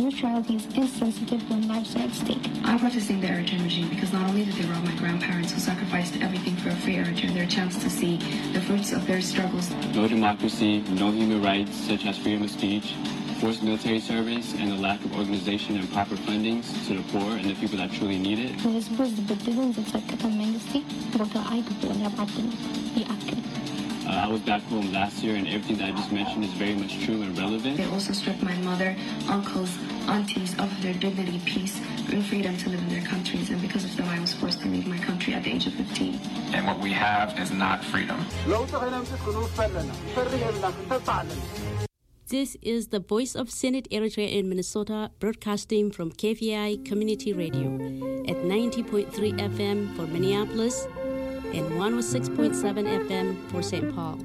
Neutrality is insensitive when lives are at stake. I'm protesting the Eritrean regime because not only did they rob my grandparents who sacrificed everything for a free Eritrea their chance to see the fruits of their struggles. No democracy, no human rights such as freedom of speech, forced military service, and the lack of organization and proper fundings to the poor and the people that truly need it. ንህዝቡ ዝብድልን ዝጸቅጥን መንግስቲ ቦታ ኣይግብኦን ኣብ ዓድና። ይኣክል። Uh, I was back home last year, and everything that I just mentioned is very much true and relevant. They also stripped my mother, uncles, aunties of their dignity, peace, and freedom to live in their countries. And because of them, I was forced to leave my country at the age of fifteen. And what we have is not freedom. ለውጢ ከነምፅእ ክንውፈ ኣለና፣ ክንፈርህ የብልና፣ ክንተብዕ ኣለና። This is the Voice of Senate Eritrea in Minnesota, broadcasting from K V I Community Radio at ninety point three F M for Minneapolis and one oh six point seven F M for Saint Paul.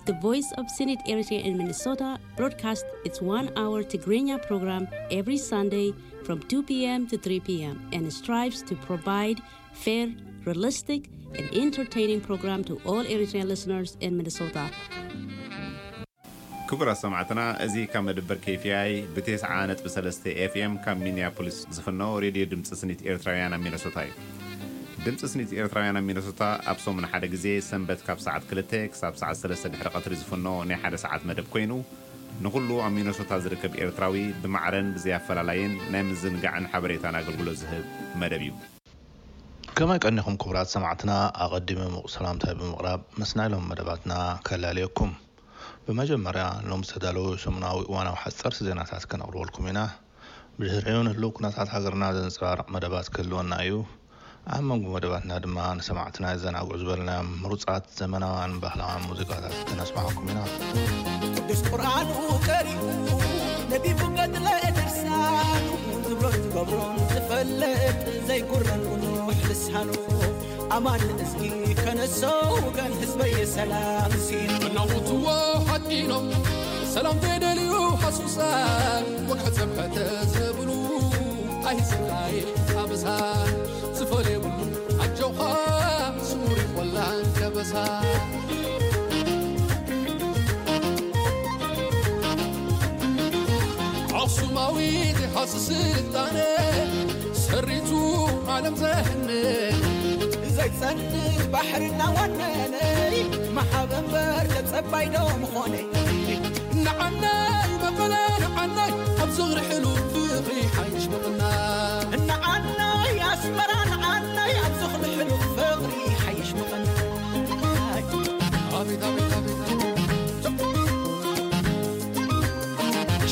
The Voice of Senate Eritrea in Minnesota broadcasts its one-hour Tigrinya program every Sunday from two p.m. to three p.m. and strives to provide fair, realistic, and entertaining program to all Eritrean listeners in Minnesota. ክቡራት ሰማዕትና፣ እዚ ካብ መደበር K V I ብ ተስዓ ነጥቢ ሰለስተ F M ካብ ሚኒያፖሊስ ዝፍኖ ሬድዮ ድምፂ ስኒት ኤርትራውያን ኣብ ሚነሶታ እዩ። ድምፂ ስኒት ኤርትራውያን ኣብ ሚነሶታ ኣብ ሰሙን ሓደ ግዜ ሰንበት ካብ ሰዓት ክልተ ክሳብ ሰዓት ሰለስተ ድሕሪ ቀትሪ ዝፍኖ ናይ ሓደ ሰዓት መደብ ኮይኑ፣ ንኹሉ ኣብ ሚነሶታ ዝርከብ ኤርትራዊ ብማዕረን ብዘይ ኣፈላላይን ናይ ምዝንጋዕን ሓበሬታን ኣገልግሎት ዝህብ መደብ እዩ። ከመይ ቀኒኹም ክቡራት ሰማዕትና? ኣቐዲመ ምቑ ሰላምታይ ብምቕራብ ምስናይ ሎም መደባትና ከላልየኩም። ብመጀመርያ ሎም ዝተዳለዉ ሰሙናዊ እዋናዊ ሓፀርቲ ዜናታት ከነቕርበልኩም ኢና። ብድሕሪኡ ንህልው ኩነታት ሃገርና ዘንፀባርቕ መደባት ክህልወና እዩ። ኣብ መንጎ መደባትና ድማ ንሰማዕትና የዘናግዑ ዝበልናዮም ምሩፃት ዘመናውያን ባህላውያን ሙዚቃታት ከነስማዓኩም ኢና። ቅዱስ ቁርኣኑ ቀሪኡ ነቢቡ ገድለ ድርሳኑ ዝብሎን ዝገብሮን ዝፈልጥ ዘይጉረን ብዙሕ ልሳኑ ኣማን እዝጊ ከነሶ ወገን ህዝበየ ሰላም ሲኑ እናውትዎ ሓቂኖም ሰላም ተደልዩ ሃሱሳ ወግሐ ጸብሐ ተዘብሉ ኣይስራይ ኣበሳ ዝፈል የብሉ ኣጆኻ ስሙር ይቆላን ከበሳ ኣኽሱማዊት ይሓስ ስልጣነ ሰሪቱ ዓለም ዘህነ ዘይጸንት ባሕሪ እናዋነነ መሓበንበር ተጸባይ ዶ ምኾነ ንዓናይ መቐለ ንዓናይ ኣብ ዝኽሪ ሕሉፍ ፍቕሪ ሓይሽ ምቕና ንዓናይ ኣስመራ ንዓናይ ኣብ ዝኽሪ ሕሉፍ ፍቕሪ ሓይሽ ምቕና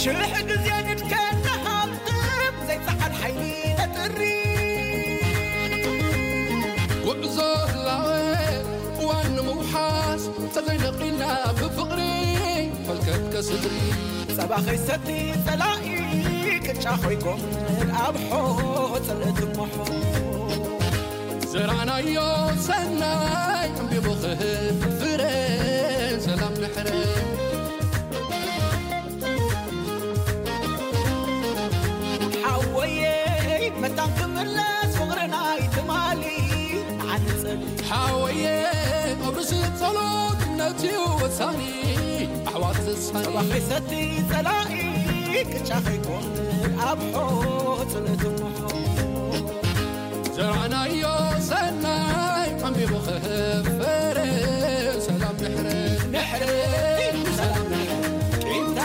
ሽርሕ ግዜ ንድከና ሃብትም ዘይፀዓድ ሓይሊ ነጥሪ ጉዕዞ ህላወ እዋን ንምውሓስ ተዘይነቒልና ብፍቕሪ ፈልከት ከስድሪ ጸባ ኸይሰቲ ጸላኢ ቅጫ ኸይኮን ኣብ ሖ ጽልእቲ ሞሖ ዘራናዮ ሰናይ ዕምቢቡ ክህብ ፍረ ሰላም ድሕረ ሓወየ መታን ክምለስ ፍቕርና ይትማሊ ንዓንጽል ሓወየ ኣብ ርእሲ ጸሎት እምነት እዩ ወሳኒ ኣሕዋት ዝሳኒ ጸባ ኸይሰቲ ጸላኢ ቅጫ ኸይኮን ኣብ ሖ ጽልእቲ ሞሖ ዘራናዮ ሰናይ ዓምቢቡ ክህብ ፍረ ሰላም ድሕረ ድሕረ ሰላም ድሕረ ቂምታ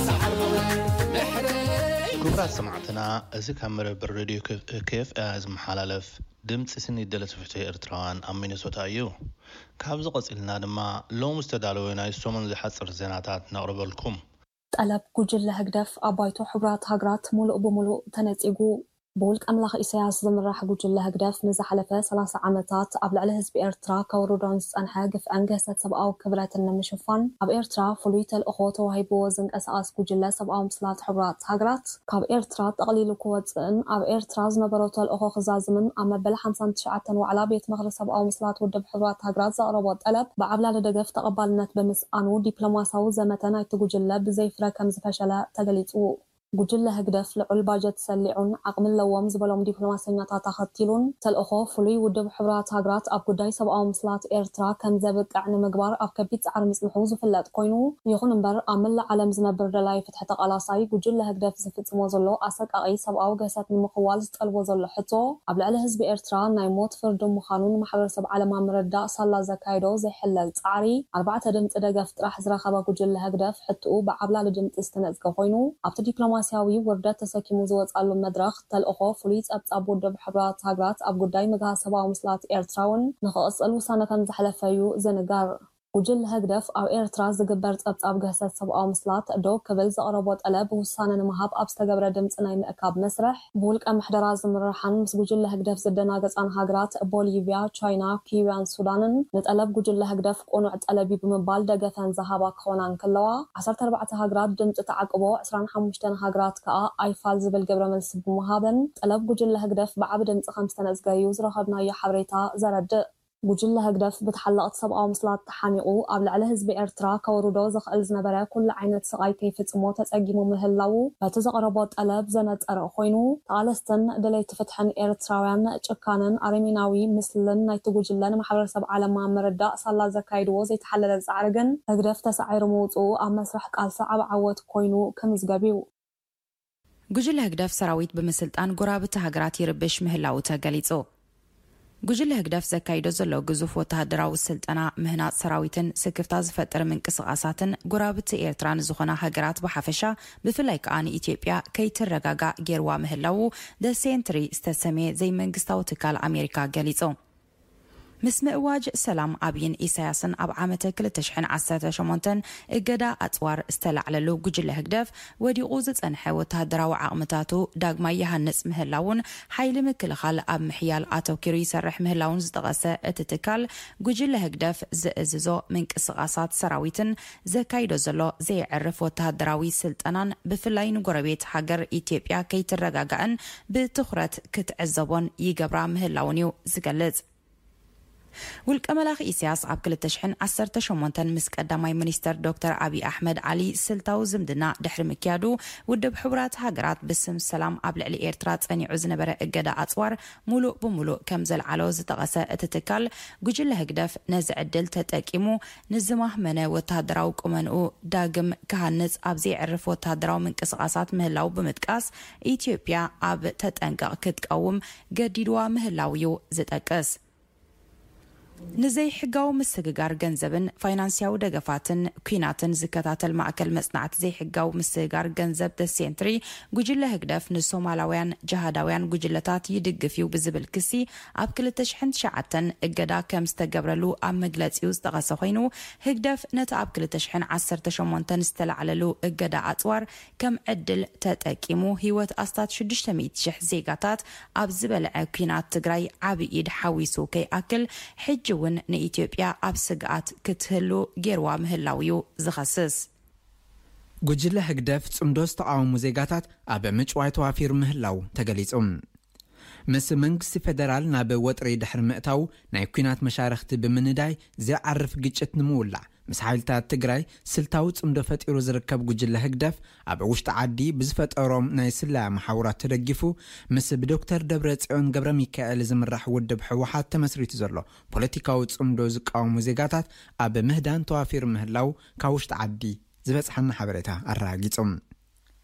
ሰዓር መውረ ድሕረ ክቡራት ሰማዕትና፣ እዚ ካብ መደበር ሬድዮ K F I ዝመሓላለፍ ድምፂ ስኒት ደለቲ ፍትሒ ኤርትራውያን ኣብ ሚነሶታ እዩ። ካብዚ ቀፂልና ድማ ሎም ዝተዳለወ ናይ ሰሙን ዝሓፅር ዜናታት ነቕርበልኩም። ጠለብ ጉጅለ ህግደፍ ኣብ ባይቶ ሕቡራት ሃገራት ሙሉእ ብሙሉእ ተነጺጉ። ብውልቀ ኣምላኽ ኢሳያስ ዝምራሕ ጉጅለ ህግደፍ ንዝሓለፈ ሰላሳ ዓመታት ኣብ ልዕሊ ህዝቢ ኤርትራ ከውርዶን ዝጸንሐ ግፍዕን ግህሰት ሰብኣዊ ክብረትን ንምሽፋን ኣብ ኤርትራ ፍሉይ ተልእኾ ተዋሂብዎ ዝንቀሳቐስ ጉጅለ ሰብኣዊ ምስላት ሕቡራት ሃገራት ካብ ኤርትራ ጠቕሊሉ ክወጽእን ኣብ ኤርትራ ዝነበሮ ተልእኾ ክዛዝምን ኣብ መበል ሓምሳን ትሽዓተን ዋዕላ ቤት ምኽሪ ሰብኣዊ ምስላት ውድብ ሕቡራት ሃገራት ዘቕረቦ ጠለብ ብዓብላሊ ደገፍ ተቐባልነት ብምስኣኑ ዲፕሎማሳዊ ዘመተ ናይቲ ጉጅለ ብዘይ ፍረ ከም ዝፈሸለ ተገሊጹ። ጉጅለ ህግደፍ ልዑል ባጀት ሰሊዑን ዓቕሚ ኣለዎም ዝበሎም ዲፕሎማሰኛታት ኣኸቲሉን፣ ተልእኾ ፍሉይ ውድብ ሕቡራት ሃገራት ኣብ ጉዳይ ሰብኣዊ ምስላት ኤርትራ ከም ዘብቅዕ ንምግባር ኣብ ከቢድ ጻዕሪ ምጽንሑ ዝፍለጥ ኮይኑ፣ ይኹን እምበር ኣብ መላእ ዓለም ዝነብር ደላይ ፍትሒ ተቓላሳይ ጉጅለ ህግደፍ ዝፍጽሞ ዘሎ ኣሰቃቒ ሰብኣዊ ግህሰት ንምኽዋል ዝጠልቦ ዘሎ ሕቶ፣ ኣብ ልዕሊ ህዝቢ ኤርትራ ናይ ሞት ፍርዲ ምዃኑ ንማሕበረሰብ ዓለም ኣብ ምርዳእ ሳላ ዘካየዶ ዘይሕለል ጻዕሪ፣ ኣርባዕተ ድምጺ ደገፍ ጥራሕ ዝረኸበ ጉጅለ ህግደፍ ሕትኡ ብዓብላሊ ድምጺ ዝተነጽገ ኮይኑ፣ ኣብቲ ዲፕሎማስያዊ ውርደት ተሰኪሙ ዝወጻሉ መድረኽ፣ ተልእኾ ፍሉይ ጸብጻብ ውድብ ሕቡራት ሃገራት ኣብ ጉዳይ ምግሃስ ሰብኣዊ ምስላት ኤርትራ እውን ንኽቕጽል ውሳነ ከም ዘሕለፈ እዩ ዝንገር። ጉጅለ ህግደፍ ኣብ ኤርትራ ዝግበር ጸብጻብ ግህሰት ሰብኣዊ ምስላት ደው ክብል ዘቕረቦ ጠለብ ውሳነ ንምሃብ ኣብ ዝተገብረ ድምጺ ናይ ምእካብ መስርሕ፣ ብውልቀ ምሕደራ ዝምርሓን ምስ ጉጅለ ህግደፍ ዝደናገጻን ሃገራት ቦሊቪያ፣ ቻይና፣ ኪዩባን ሱዳንን ንጠለብ ጉጅለ ህግደፍ ቅኑዕ ጠለብ እዩ ብምባል ደገፈን ዝሃባ ክኾና እንከለዋ፣ ዓሰርተ ኣርባዕተ ሃገራት ድምጺ ተዓቅቦ፣ ዕስራን ሓሙሽተን ሃገራት ከኣ ኣይፋል ዝብል ግብረ መልሲ ብምሃበን፣ ጠለብ ጉጅለ ህግደፍ ብዓቢ ድምጺ ከም ዝተነጽገ እዩ ዝረኸብናዮ ሓበሬታ ዘረድእ። ጉጅለ ህግደፍ ብተሓለቕቲ ሰብኣዊ ምስላት ተሓኒቑ ኣብ ልዕሊ ህዝቢ ኤርትራ ከውርዶ ዝኽእል ዝነበረ ኩሉ ዓይነት ስቓይ ከይፍጽሞ ተጸጊሙ ምህላዉ በቲ ዘቕረቦ ጠለብ ዘነጸረ ኮይኑ፣ ተቓለስትን ደለይቲ ፍትሕን ኤርትራውያን ጭካነን ኣረሜናዊ ምስልን ናይቲ ጉጅለ ንማሕበረሰብ ዓለም ኣብ ምርዳእ ሳላ ዘካይድዎ ዘይተሓለለ ጻዕሪ ግን ህግደፍ ተሳዒሩ ምውጽኡ ኣብ መስርሕ ቃልሲ ዓቢ ዓወት ኮይኑ ክምዝገብ እዩ። ጉጅለ ህግደፍ ሰራዊት ብምስልጣን ጎረባብቲ ሃገራት ይርብሽ ምህላዉ ተገሊጹ። ጉጅለ ህግደፍ ዘካይዶ ዘሎ ግዙፍ ወተሃደራዊ ስልጠና፣ ምህናጽ ሰራዊትን ስክፍታ ዝፈጥር ምንቅስቓሳትን ጎረባብቲ ኤርትራ ንዝኾና ሃገራት ብሓፈሻ፣ ብፍላይ ከኣ ንኢትዮጵያ ከይትረጋጋእ ጌርዋ ምህላዉ The Sentry ዝተሰምየ ዘይመንግስታዊ ትካል ኣሜሪካ ገሊጹ። ምስ ምእዋጅ ሰላም ኣብይን ኢሳያስን ኣብ ዓመተ ክልተ ሽሕን ዓሰርተ ሸሞንተን እገዳ ኣጽዋር ዝተላዕለሉ ጉጅለ ህግደፍ፣ ወዲቑ ዝጸንሐ ወተሃደራዊ ዓቕምታቱ ዳግማይ ይሃንጽ ምህላውን ሓይሊ ምክልኻል ኣብ ምሕያል ኣተኲሩ ይሰርሕ ምህላውን ዝጠቐሰ እቲ ትካል፣ ጉጅለ ህግደፍ ዝእዝዞ ምንቅስቓሳት ሰራዊትን ዘካይዶ ዘሎ ዘየዕርፍ ወተሃደራዊ ስልጠናን ብፍላይ ንጎረቤት ሃገር ኢትዮጵያ ከይትረጋጋእን ብትኹረት ክትዕዘቦን ይገብራ ምህላውን እዩ ዝገልጽ። ውልቀ መላኺ ኢሳያስ ኣብ ክልተ ሽሕን ዓሰርተ ሸሞንተን ምስ ቀዳማይ ሚኒስተር ዶክተር ኣብይ ኣሕመድ ዓሊ ስልታዊ ዝምድና ድሕሪ ምክያዱ፣ ውድብ ሕቡራት ሃገራት ብስም ሰላም ኣብ ልዕሊ ኤርትራ ጸኒዑ ዝነበረ እገዳ ኣጽዋር ሙሉእ ብሙሉእ ከም ዘልዓሎ ዝጠቐሰ እቲ ትካል፣ ጉጅለ ህግደፍ ነዚ ዕድል ተጠቂሙ ንዝማህመነ ወተሃደራዊ ቁመንኡ ዳግም ክሃንጽ ኣብ ዘየዕርፍ ወተሃደራዊ ምንቅስቓሳት ምህላው ብምጥቃስ፣ ኢትዮጵያ ኣብ ተጠንቀቕ ክትቀውም ገዲድዋ ምህላው እዩ ዝጠቅስ። ንዘይሕጋዊ ምስግጋር ገንዘብን ፋይናንስያዊ ደገፋትን ኲናትን ዝከታተል ማእከል መጽናዕቲ ዘይሕጋዊ ምስግጋር ገንዘብ The Sentry፣ ጉጅለ ህግደፍ ንሶማላውያን ጅሃዳውያን ጉጅለታት ይድግፍ እዩ ብዝብል ክሲ ኣብ ክልተ ሽሕን ትሽዓተን እገዳ ከም ዝተገብረሉ ኣብ መግለጺኡ ዝጠቐሰ ኮይኑ፣ ህግደፍ ነቲ ኣብ ክልተ ሽሕን ዓሰርተ ሸሞንተን ዝተላዕለሉ እገዳ ኣጽዋር ከም ዕድል ተጠቂሙ፣ ህይወት ኣስታት ሽዱሽተ ሚእቲ ሽሕ ዜጋታት ኣብ ዝበልዐ ኲናት ትግራይ ዓቢ ኢድ ሓዊሱ ከይኣክል፣ ሕጂ እውን ንኢትዮጵያ ኣብ ስግኣት ክትህሉ ጌርዋ ምህላው እዩ ዝኸስስ። ጉጅለ ህግደፍ ጽምዶ ዝተቓወሙ ዜጋታት ኣብ ምጭዋይ ተዋፊሩ ምህላው ተገሊጹ። ምስ መንግስቲ ፌደራል ናብ ወጥሪ ድሕሪ ምእታው፣ ናይ ኲናት መሻርኽቲ ብምንዳይ ዘይዓርፍ ግጭት ንምውላዕ፣ ምስ ሓይልታት ትግራይ ስልታዊ ጽምዶ ፈጢሩ ዝርከብ ጉጅለ ህግደፍ፣ ኣብ ውሽጢ ዓዲ ብዝፈጠሮም ናይ ስለያ መሓውራት ተደጊፉ፣ ምስ ብዶክተር ደብረጽዮን ገብረ ሚካኤል ዝምራሕ ውድብ ህወሓት ተመስሪቱ ዘሎ ፖለቲካዊ ጽምዶ ዝቃወሙ ዜጋታት ኣብ ምህዳን ተዋፊሩ ምህላው ካብ ውሽጢ ዓዲ ዝበጽሓና ሓበሬታ ኣረጋጊጹ።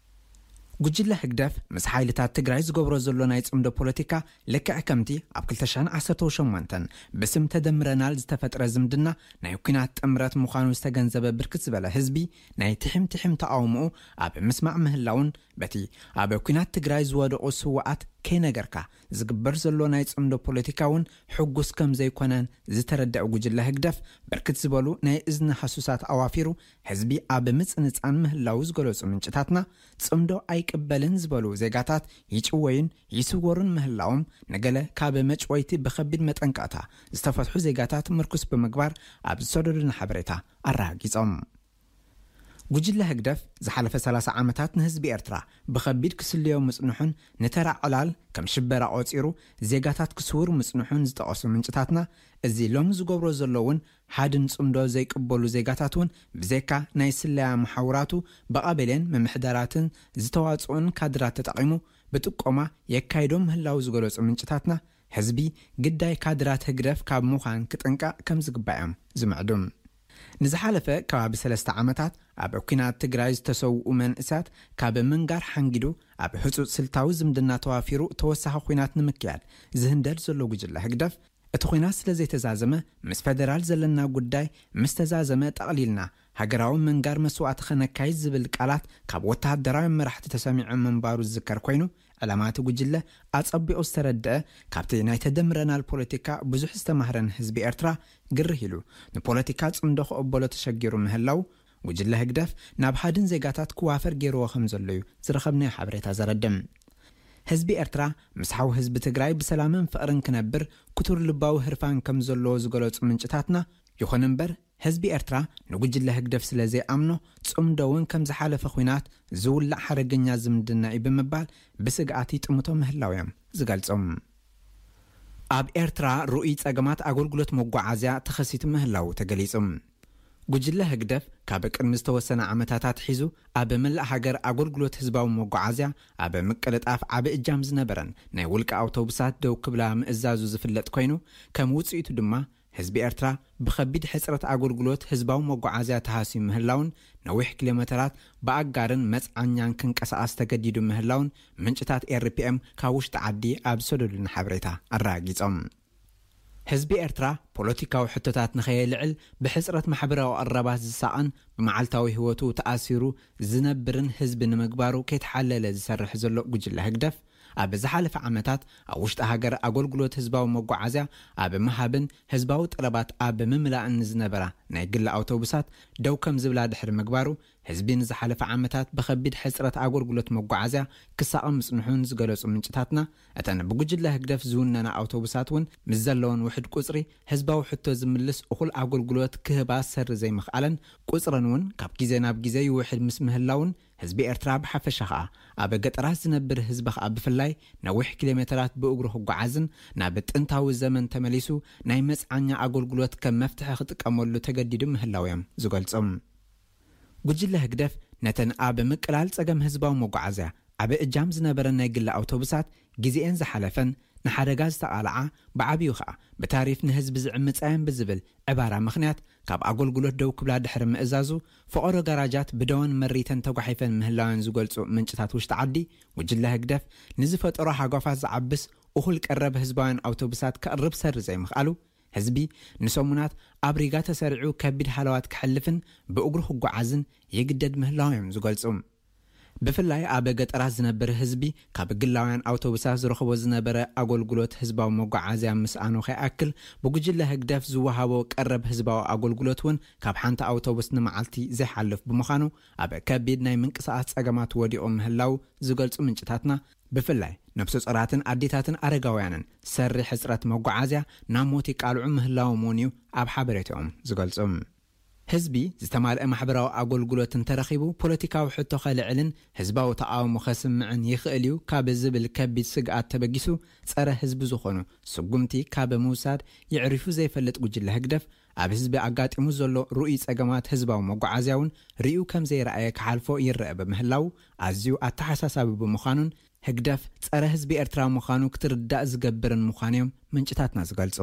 ጉጅለ ህግደፍ ምስ ሓይልታት ትግራይ ዝገብሮ ዘሎ ናይ ጽምዶ ፖለቲካ፣ ልክዕ ከምቲ ኣብ ክልተ ሽሕን ዓሰርተ ሸሞንተን ብስም ተደምረናል ዝተፈጥረ ዝምድና ናይ ኲናት ጥምረት ምዃኑ ዝተገንዘበ ብርክት ዝበለ ህዝቢ፣ ናይ ትሕም ትሕም ተቓውሞኡ ኣብ ምስማዕ ምህላውን፣ በቲ ኣብ ኲናት ትግራይ ዝወደቑ ስውኣት ከይነገርካ ዝግበር ዘሎ ናይ ጽምዶ ፖለቲካ እውን ሕጉስ ከም ዘይኮነን ዝተረድአ ጉጅለ ህግደፍ፣ ብርክት ዝበሉ ናይ እዝኒ ሃሱሳት ኣዋፊሩ ህዝቢ ኣብ ምጽንጻን ምህላው ዝገለጹ ምንጭታትና፣ ጽምዶ ኣይቅበልን ዝበሉ ዜጋታት ይጭወዩን ይስወሩን ምህላዎም፣ ንገለ ካብ መጭወይቲ ብኸቢድ መጠንቀቕታ ዝተፈትሑ ዜጋታት ምርኩስ ብምግባር ኣብ ዝሰደዱና ሓበሬታ ኣረጋጊጾም። ጉጅለ ህግደፍ ዝሓለፈ ሰላሳ ዓመታት ንህዝቢ ኤርትራ ብኸቢድ ክስልዮ ምጽንሑን ንተራ ዕላል ከም ሽበራ ቆጺሩ ዜጋታት ክስውር ምጽንሑን ዝጠቐሱ ምንጭታትና፣ እዚ ሎም ዝገብሮ ዘሎ እውን ሓድን ጽምዶ ዘይቅበሉ ዜጋታት እውን ብዘካ ናይ ስለያ መሓውራቱ ብቐበሌን ምምሕዳራትን ዝተዋጽኡን ካድራት ተጠቒሙ ብጥቆማ የካይዶም ምህላው ዝገለጹ ምንጭታትና፣ ህዝቢ ግዳይ ካድራት ህግደፍ ካብ ምዃን ክጥንቀቕ ከም ዝግባእ እዮም ዝምዕዱ። ንዝሓለፈ ከባቢ ሰለስተ ዓመታት ኣብ ኲናት ትግራይ ዝተሰውኡ መንእሳት ካብ ምንጋር ሓንጊዱ ኣብ ህጹጽ ስልታዊ ዝምድና ተዋፊሩ ተወሳኺ ኲናት ንምክያድ ዝህንደድ ዘሎ ጉጅለ ህግደፍ፣ እቲ ኲናት ስለ ዘይተዛዘመ፣ ምስ ፈደራል ዘለና ጉዳይ ምስ ተዛዘመ ጠቕሊልና ሃገራዊ ምንጋር መስዋእቲ ከነካይድ ዝብል ቃላት ካብ ወተሃደራዊ መራሕቲ ተሰሚዑ ምንባሩ ዝዝከር ኮይኑ፣ ዕላማ እቲ ጉጅለ ኣጸቢቑ ዝተረድአ፣ ካብቲ ናይ ተደምረናል ፖለቲካ ብዙሕ ዝተማህረን ህዝቢ ኤርትራ ግርህ ኢሉ ንፖለቲካ ጽምዶ ክቕበሎ ተሸጊሩ ምህላው ጉጅለ ህግደፍ ናብ ሓድን ዜጋታት ክዋፈር ገይርዎ ከም ዘሎ እዩ ዝረኸብናዮ ሓበሬታ ዘረድም። ህዝቢ ኤርትራ ምስ ሓው ህዝቢ ትግራይ ብሰላምን ፍቕርን ክነብር ክቱር ልባዊ ህርፋን ከም ዘለዎ ዝገለጹ ምንጭታትና፣ ይኹን እምበር ህዝቢ ኤርትራ ንጉጅለ ህግደፍ ስለ ዘይኣምኖ ጽምዶ እውን ከም ዝሓለፈ ኲናት ዝውላዕ ሓደገኛ ዝምድና እዩ ብምባል ብስግኣት ይጥምቶ ምህላው እዮም ዝገልጹ። ኣብ ኤርትራ ርኡይ ጸገማት ኣገልግሎት መጓዓዝያ ተኸሲቱ ምህላው ተገሊጹ። ጉጅለ ህግደፍ ካብ ቅድሚ ዝተወሰነ ዓመታት ኣትሒዙ ኣብ መላእ ሃገር ኣገልግሎት ህዝባዊ መጓዓዝያ ኣብ ምቅልጣፍ ዓቢ እጃም ዝነበረን ናይ ውልቂ ኣውቶቡሳት ደው ክብላ ምእዛዙ ዝፍለጥ ኮይኑ፣ ከም ውጽኢቱ ድማ ህዝቢ ኤርትራ ብኸቢድ ሕጽረት ኣገልግሎት ህዝባዊ መጓዓዝያ ተሃስዩ ምህላውን ነዊሕ ኪሎ ሜተራት ብኣጋርን መጽዓኛን ክንቀሳቐስ ተገዲዱ ምህላውን ምንጭታት ኤርፒኤም ካብ ውሽጢ ዓዲ ኣብ ዝሰደዱልና ሓበሬታ ኣረጋጊጾም። ህዝቢ ኤርትራ ፖለቲካዊ ሕቶታት ንኸየልዕል ብሕጽረት ማሕበራዊ ቀረባት ዝሳቐን ብመዓልታዊ ህይወቱ ተኣሲሩ ዝነብርን ህዝቢ ንምግባሩ ከይተሓለለ ዝሰርሕ ዘሎ ጉጅለ ህግደፍ፣ ኣብ ዝሓለፈ ዓመታት ኣብ ውሽጢ ሃገር ኣገልግሎት ህዝባዊ መጓዓዝያ ኣብ ምሃብን ህዝባዊ ጠለባት ኣብ ምምላእን ንዝነበራ ናይ ግሊ ኣውቶቡሳት ደው ከም ዝብላ ድሕሪ ምግባሩ፣ ህዝቢ ንዝሓለፈ ዓመታት ብኸቢድ ሕጽረት ኣገልግሎት መጓዓዝያ ክሳቐ ምጽንሑን ዝገለጹ ምንጭታትና፣ እተን ብጉጅለ ህግደፍ ዝውነና ኣውቶቡሳት እውን ምስ ዘለወን ውሕድ ቁጽሪ ህዝባዊ ሕቶ ዝምልስ እኹል ኣገልግሎት ክህባ ሰሪ ዘይምኽኣለን፣ ቁጽረን እውን ካብ ግዜ ናብ ግዜ ይውሕድ ምስ ምህላውን፣ ህዝቢ ኤርትራ ብሓፈሻ ኸኣ ኣብ ገጠራት ዝነብር ህዝቢ ኸኣ ብፍላይ ነዊሕ ኪሎ ሜተራት ብእግሩ ክጓዓዝን ናብ ጥንታዊ ዘመን ተመሊሱ ናይ መጽዓኛ ኣገልግሎት ከም መፍትሒ ክጥቀመሉ ተገዲዱ ምህላው እዮም ዝገልጹ። ጉጅለ ህግደፍ ነተን ኣብ ምቅላል ጸገም ህዝባዊ መጓዓዝያ ዓቢ እጃም ዝነበረን ናይ ግሊ ኣውቶቡሳት ግዜኤን ዝሓለፈን ንሓደጋ ዝተቓልዓ ብዓብዩ ኸኣ ብታሪፍ ንህዝቢ ዝዕምጻ እየን ብዝብል ዕባራ ምኽንያት ካብ ኣገልግሎት ደው ክብላ ድሕሪ ምእዛዙ፣ ፈቐዶ ጋራጃት ብደወን መሪተን ተጓሒፈን ምህላወን ዝገልጹ ምንጭታት ውሽጢ ዓዲ፣ ጉጅለ ህግደፍ ንዝፈጠሮ ሃጓፋት ዝዓብስ እኹል ቀረብ ህዝባውያን ኣውቶቡሳት ከቕርብ ሰሪ ዘይምኽኣሉ፣ ህዝቢ ንሰሙናት ኣብ ሪጋ ተሰሪዑ ከቢድ ሃለዋት ክሕልፍን ብእግሩ ክጓዓዝን ይግደድ ምህላው እዮም ዝገልጹ። ብፍላይ ኣብ ገጠራት ዝነብር ህዝቢ ካብ ግላውያን ኣውቶቡሳት ዝረኽቦ ዝነበረ ኣገልግሎት ህዝባዊ መጓዓዝያ ምስኣኑ ከይኣክል፣ ብጉጅለ ህግደፍ ዝወሃቦ ቀረብ ህዝባዊ ኣገልግሎት እውን ካብ ሓንቲ ኣውቶቡስ ንመዓልቲ ዘይሓልፍ ብምዃኑ፣ ኣብ ከቢድ ናይ ምንቅስቓስ ጸገማት ወዲቑ ምህላው ዝገልጹ ምንጭታትና፣ ብፍላይ ነብሰ ጾራትን ኣዴታትን ኣረጋውያንን ሰሪ ሕጽረት መጓዓዝያ ናብ ሞት ይቃልዑ ምህላዎም እውን እዩ ኣብ ሓበሬታኦም ዝገልጹ። ህዝቢ ዝተማልአ ማሕበራዊ ኣገልግሎት እንተረኺቡ ፖለቲካዊ ሕቶ ከልዕልን ህዝባዊ ተቓውሞ ከስምዕን ይኽእል እዩ ካብ ዝብል ከቢድ ስግኣት ተበጊሱ፣ ጸረ ህዝቢ ዝኾኑ ስጉምቲ ካብ ምውሳድ የዕሪፉ ዘይፈልጥ ጉጅለ ህግደፍ፣ ኣብ ህዝቢ ኣጋጢሙ ዘሎ ርኡይ ጸገማት ህዝባዊ መጓዓዝያ እውን ርእዩ ከም ዘይረኣየ ክሓልፎ ይረአ ብምህላው፣ ኣዝዩ ኣተሓሳሳቢ ብምዃኑን ህግደፍ ጸረ ህዝቢ ኤርትራ ምዃኑ ክትርዳእ ዝገብርን ምዃኑ እዮም ምንጭታትና ዝገልጹ።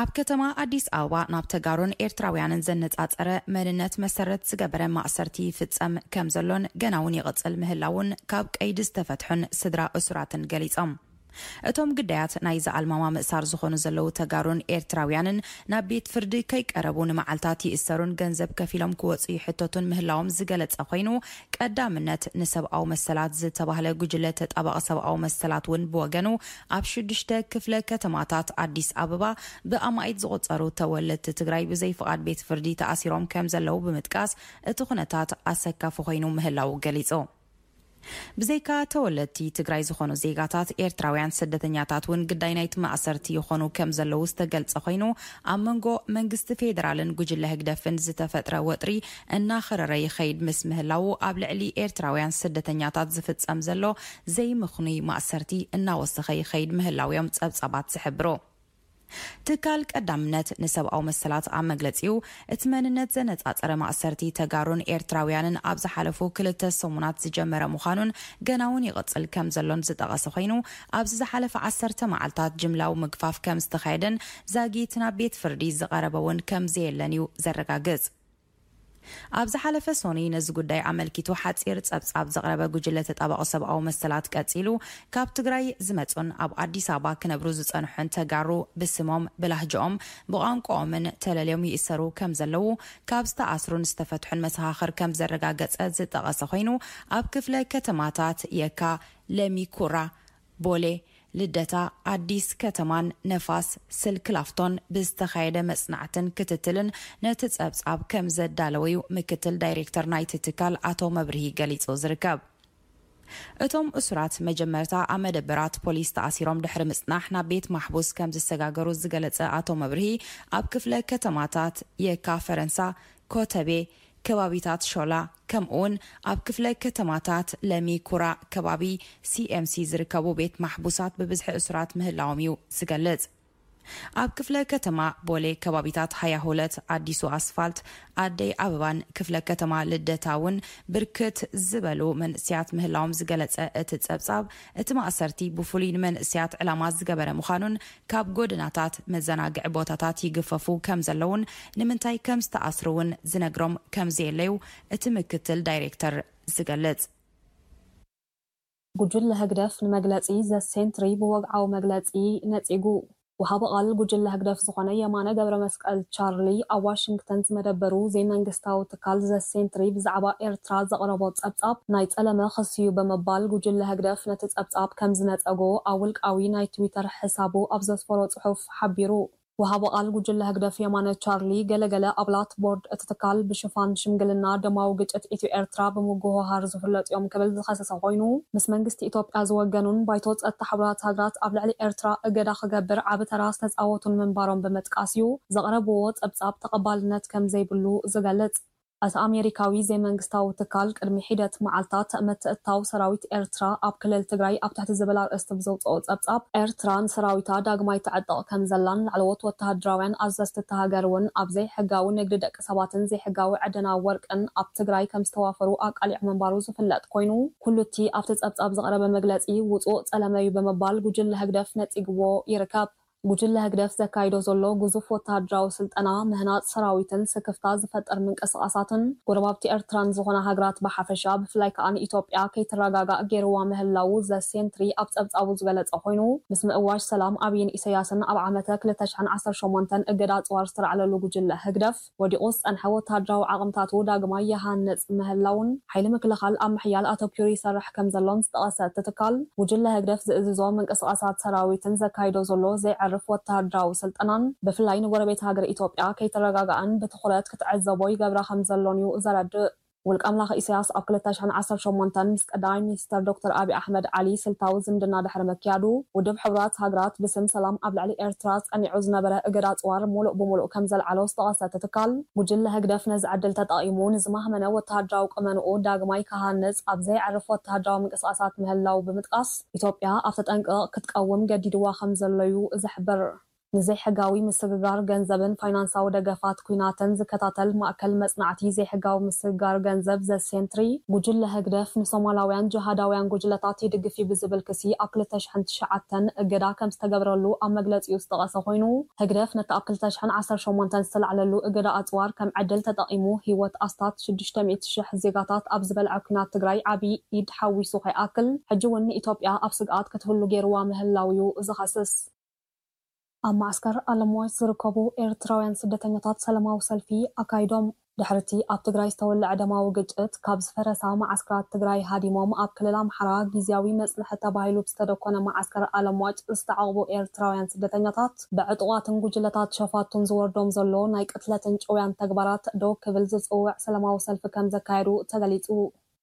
ኣብ ከተማ ኣዲስ ኣበባ ናብ ተጋሩን ኤርትራውያንን ዘነጻጸረ መንነት መሰረት ዝገበረ ማእሰርቲ ይፍጸም ከም ዘሎን ገና እውን ይቕጽል ምህላውን ካብ ቀይዲ ዝተፈትሑን ስድራ እሱራትን ገሊጾም። እቶም ግዳያት ናይዚ ኣልማማ ምእሳር ዝኾኑ ዘለዉ ተጋሩን ኤርትራውያንን ናብ ቤት ፍርዲ ከይቀረቡ ንመዓልታት ይእሰሩን ገንዘብ ከፊሎም ክወጹ ይሕተቱን ምህላዎም ዝገለጸ ኮይኑ፣ ቀዳምነት ንሰብኣዊ መሰላት ዝተባህለ ጉጅለ ተጣባቒ ሰብኣዊ መሰላት እውን ብወገኑ፣ ኣብ ሽዱሽተ ክፍለ ከተማታት ኣዲስ ኣበባ ብኣማኢት ዝቑጸሩ ተወለድቲ ትግራይ ብዘይፍቓድ ቤት ፍርዲ ተኣሲሮም ከም ዘለዉ ብምጥቃስ፣ እቲ ኩነታት ኣሰካፊ ኮይኑ ምህላዉ ገሊጹ። ብዘይካ ተወለድቲ ትግራይ ዝኾኑ ዜጋታት ኤርትራውያን ስደተኛታት እውን ግዳይ ናይቲ ማእሰርቲ ይኾኑ ከም ዘለዉ ዝተገልጸ ኮይኑ፣ ኣብ መንጎ መንግስቲ ፌዴራልን ጉጅለ ህግደፍን ዝተፈጥረ ወጥሪ እናኸረረ ይኸይድ ምስ ምህላዉ፣ ኣብ ልዕሊ ኤርትራውያን ስደተኛታት ዝፍጸም ዘሎ ዘይምኽኑይ ማእሰርቲ እናወሰኸ ይኸይድ ምህላውዮም ጸብጻባት ዝሕብሩ። ትካል ቀዳምነት ንሰብኣዊ መሰላት ኣብ መግለጺኡ፣ እቲ መንነት ዘነጻጸረ ማእሰርቲ ተጋሩን ኤርትራውያንን ኣብ ዝሓለፉ ክልተ ሰሙናት ዝጀመረ ምዃኑን ገና እውን ይቕጽል ከም ዘሎን ዝጠቐሰ ኮይኑ፣ ኣብዚ ዝሓለፈ ዓሰርተ መዓልታት ጅምላዊ ምግፋፍ ከም ዝተኻየደን ዛጊት ናብ ቤት ፍርዲ ዝቐረበ እውን ከም ዘየለን እዩ ዘረጋግጽ። ኣብ ዝሓለፈ ሶኒ ነዚ ጉዳይ ኣመልኪቱ ሓጺር ጸብጻብ ዘቕረበ ጉጅለ ተጣባቒ ሰብኣዊ መሰላት ቀጺሉ፣ ካብ ትግራይ ዝመጹን ኣብ ኣዲስ ኣበባ ክነብሩ ዝጸንሑን ተጋሩ ብስሞም፣ ብላህጅኦም፣ ብቋንቋኦምን ተለልዮም ይእሰሩ ከም ዘለዉ፣ ካብ ዝተኣስሩን ዝተፈትሑን መሰኻኽር ከም ዘረጋገጸ ዝጠቐሰ ኮይኑ፣ ኣብ ክፍለ ከተማታት የካ፣ ለሚ ኩራ፣ ቦሌ፣ ልደታ፣ ኣዲስ ከተማን ነፋስ ስልክ ላፍቶን ብዝተኻየደ መጽናዕትን ክትትልን ነቲ ጸብጻብ ከም ዘዳለወዩ ምክትል ዳይሬክተር ናይቲ ትካል ኣቶ መብርሂ ገሊጹ ዝርከብ። እቶም እሱራት መጀመርታ ኣብ መደበራት ፖሊስ ተኣሲሮም ድሕሪ ምጽናሕ ናብ ቤት ማሕቡስ ከም ዝሰጋገሩ ዝገለጸ ኣቶ መብርሂ፣ ኣብ ክፍለ ከተማታት የካ፣ ፈረንሳ፣ ኮተቤ፣ ከባቢታት ሾላ፣ ከምኡውን ኣብ ክፍለ ከተማታት ለሚ ኩራ ከባቢ ሲኤምሲ ዝርከቡ ቤት ማሕቡሳት ብብዝሒ እሱራት ምህላዎም እዩ ዝገልጽ። ኣብ ክፍለ ከተማ ቦሌ ከባቢታት ሃያ ሁለት፣ ኣዲሱ ኣስፋልት፣ ኣደይ ኣበባን ክፍለ ከተማ ልደታ እውን ብርክት ዝበሉ መንእስያት ምህላዎም ዝገለጸ እቲ ጸብጻብ፣ እቲ ማእሰርቲ ብፍሉይ ንመንእስያት ዕላማ ዝገበረ ምዃኑን ካብ ጎደናታት መዘናግዒ ቦታታት ይግፈፉ ከም ዘለውን ንምንታይ ከም ዝተኣስሩ እውን ዝነግሮም ከም ዘየለዩ እቲ ምክትል ዳይሬክተር ዝገልጽ። ጉጅለ ህግደፍ ንመግለጺ ዘ ሴንትሪ ብወግዓዊ መግለጺ ነጺጉ። ወሃቢ ቃል ጉጅለ ህግደፍ ዝኾነ የማነ ገብረ መስቀል ቻርሊ ኣብ ዋሽንግተን ዝመደበሩ ዘይመንግስታዊ ትካል ዘ ሴንትሪ ብዛዕባ ኤርትራ ዘቕረቦ ጸብጻብ ናይ ጸለመ ክሲ እዩ ብምባል ጉጅለ ህግደፍ ነቲ ጸብጻብ ከም ዝነጸጎ ኣብ ውልቃዊ ናይ ትዊተር ሕሳቡ ኣብ ዘስፈሮ ጽሑፍ ሓቢሩ። ወሃቢ ቃል ጉጅለ ህግደፍ የማነ ቻርሊ፣ ገለገለ ኣባላት ቦርድ እቲ ትካል ብሽፋን ሽምግልና ደማዊ ግጭት ኢትዮ ኤርትራ ብምጉህሃር ዝፍለጡ እዮም ክብል ዝኸሰሰ ኮይኑ፣ ምስ መንግስቲ ኢትዮጵያ ዝወገኑን ባይቶ ጸጥታ ሕቡራት ሃገራት ኣብ ልዕሊ ኤርትራ እገዳ ክገብር ዓቢ ተራ ዝተጻወቱን ምንባሮም ብምጥቃስ እዩ ዘቕረብዎ ጸብጻብ ተቐባልነት ከም ዘይብሉ ዝገልጽ። እቲ ኣሜሪካዊ ዘይመንግስታዊ ትካል ቅድሚ ሒደት መዓልታት ምትእትታው ሰራዊት ኤርትራ ኣብ ክልል ትግራይ ኣብ ትሕቲ ዝብል ኣርእስቲ ብዘውፅኦ ጸብጻብ፣ ኤርትራ ንሰራዊታ ዳግማይ ትዕጥቕ ከም ዘላን ላዕለዎት ወተሃደራውያን ኣዘዝቲ እታ ሃገር እውን ኣብ ዘይሕጋዊ ንግዲ ደቂ ሰባትን ዘይሕጋዊ ዕደና ወርቅን ኣብ ትግራይ ከም ዝተዋፈሩ ኣቃሊዑ ምንባሩ ዝፍለጥ ኮይኑ፣ ኩሉ እቲ ኣብቲ ጸብጻብ ዝቐረበ መግለጺ ውጹእ ጸለመ እዩ ብምባል ጉጅለ ህግደፍ ነጺግዎ ይርከብ። ጉጅለ ህግደፍ ዘካይዶ ዘሎ ግዙፍ ወተሃደራዊ ስልጠና፣ ምህናጽ ሰራዊትን ስክፍታ ዝፈጥር ምንቅስቓሳትን ጎረባብቲ ኤርትራን ዝኾና ሃገራት ብሓፈሻ፣ ብፍላይ ከኣ ንኢትዮጵያ ከይትረጋጋእ ገይርዋ ምህላዉ ዘ ሴንትሪ ኣብ ጸብጻቡ ዝገለጸ ኮይኑ፣ ምስ ምእዋጅ ሰላም ኣብይን ኢሰያስን ኣብ ዓመተ ክልተ ሽሕን ዓሰርተ ሸሞንተን እገዳ ኣጽዋር ዝተላዕለሉ ጉጅለ ህግደፍ፣ ወዲቑ ዝጸንሐ ወተሃደራዊ ዓቕምታቱ ዳግማይ ይሃንጽ ምህላዉን ሓይሊ ምክልኻል ኣብ ምሕያል ኣተኲሩ ይሰርሕ ከም ዘሎን ዝጠቐሰ እቲ ትካል፣ ጉጅለ ህግደፍ ዝእዝዞ ምንቅስቓሳት ሰራዊትን ዘካይዶ ዘሎ ዘየዕርፍ ወተሃደራዊ ስልጠናን ብፍላይ ንጎረቤት ሃገር ኢትዮጵያ ከይትረጋጋእን ብትኹረት ክትዕዘቦ ይገብራ ከም ዘሎን እዩ ዘረድእ። ውልቀ ኣምላኽ ኢሳያስ ኣብ ክልተ ሽሕን ዓሰርተ ሸሞንተን ምስ ቀዳማይ ሚኒስተር ዶክተር ኣብይ ኣሕመድ ዓሊ ስልታዊ ዝምድና ድሕሪ ምክያዱ፣ ውድብ ሕቡራት ሃገራት ብስም ሰላም ኣብ ልዕሊ ኤርትራ ጸኒዑ ዝነበረ እገዳ ኣጽዋር ሙሉእ ብሙሉእ ከም ዘልዓሎ ዝጠቐሰ እቲ ትካል፣ ጉጅለ ህግደፍ ነዚ ዕድል ተጠቒሙ ንዝማህመነ ወተሃደራዊ ቁመንኡ ዳግማይ ክሃንጽ ኣብ ዘየዕርፍ ወተሃደራዊ ምንቅስቓሳት ምህላዉ ብምጥቃስ፣ ኢትዮጵያ ኣብ ተጠንቀቕ ክትቀውም ገዲድዋ ከም ዘሎ እዩ ዝሕብር። ንዘይሕጋዊ ምስግጋር ገንዘብን ፋይናንሳዊ ደገፋት ኲናትን ዝከታተል ማእከል መጽናዕቲ ዘይሕጋዊ ምስግጋር ገንዘብ ዘ ሴንትሪ፣ ጉጅለ ህግደፍ ንሶማላውያን ጅሃዳውያን ጉጅለታት ይድግፍ እዩ ብዝብል ክሲ ኣብ ክልተ ሽሕን ትሽዓተን እገዳ ከም ዝተገብረሉ ኣብ መግለጺኡ ዝጠቐሰ ኮይኑ፣ ህግደፍ ነቲ ኣብ ክልተ ሽሕን ዓሰርተ ሸሞንተን ዝተላዕለሉ እገዳ ኣጽዋር ከም ዕድል ተጠቒሙ ህይወት ኣስታት ሽዱሽተ ሚእቲ ሽሕ ዜጋታት ኣብ ዝበልዐ ኲናት ትግራይ ዓቢ ኢድ ሓዊሱ ከይኣክል፣ ሕጂ እውን ንኢትዮጵያ ኣብ ስግኣት ክትህሉ ገይርዋ ምህላው እዩ ዝኸስስ። ኣብ ማዕስከር ኣለምዋጭ ዝርከቡ ኤርትራውያን ስደተኛታት ሰላማዊ ሰልፊ ኣካይዶም። ድሕርቲ ኣብ ትግራይ ዝተወለዐ ደማዊ ግጭት፣ ካብ ዝፈረሳ መዓስከራት ትግራይ ሃዲሞም ኣብ ክልል ኣምሓራ ግዝያዊ መጽንሒ ተባሂሉ ብዝተደኮነ መዓስከር ኣለምዋጭ ዝተዓቑቡ ኤርትራውያን ስደተኛታት፣ ብዕጡቓትን ጉጅለታት ሸፋቱን ዝወርዶም ዘሎ ናይ ቅትለትን ጭውያን ተግባራት ደው ክብል ዝጽውዕ ሰላማዊ ሰልፊ ከም ዘካየዱ ተገሊጹ።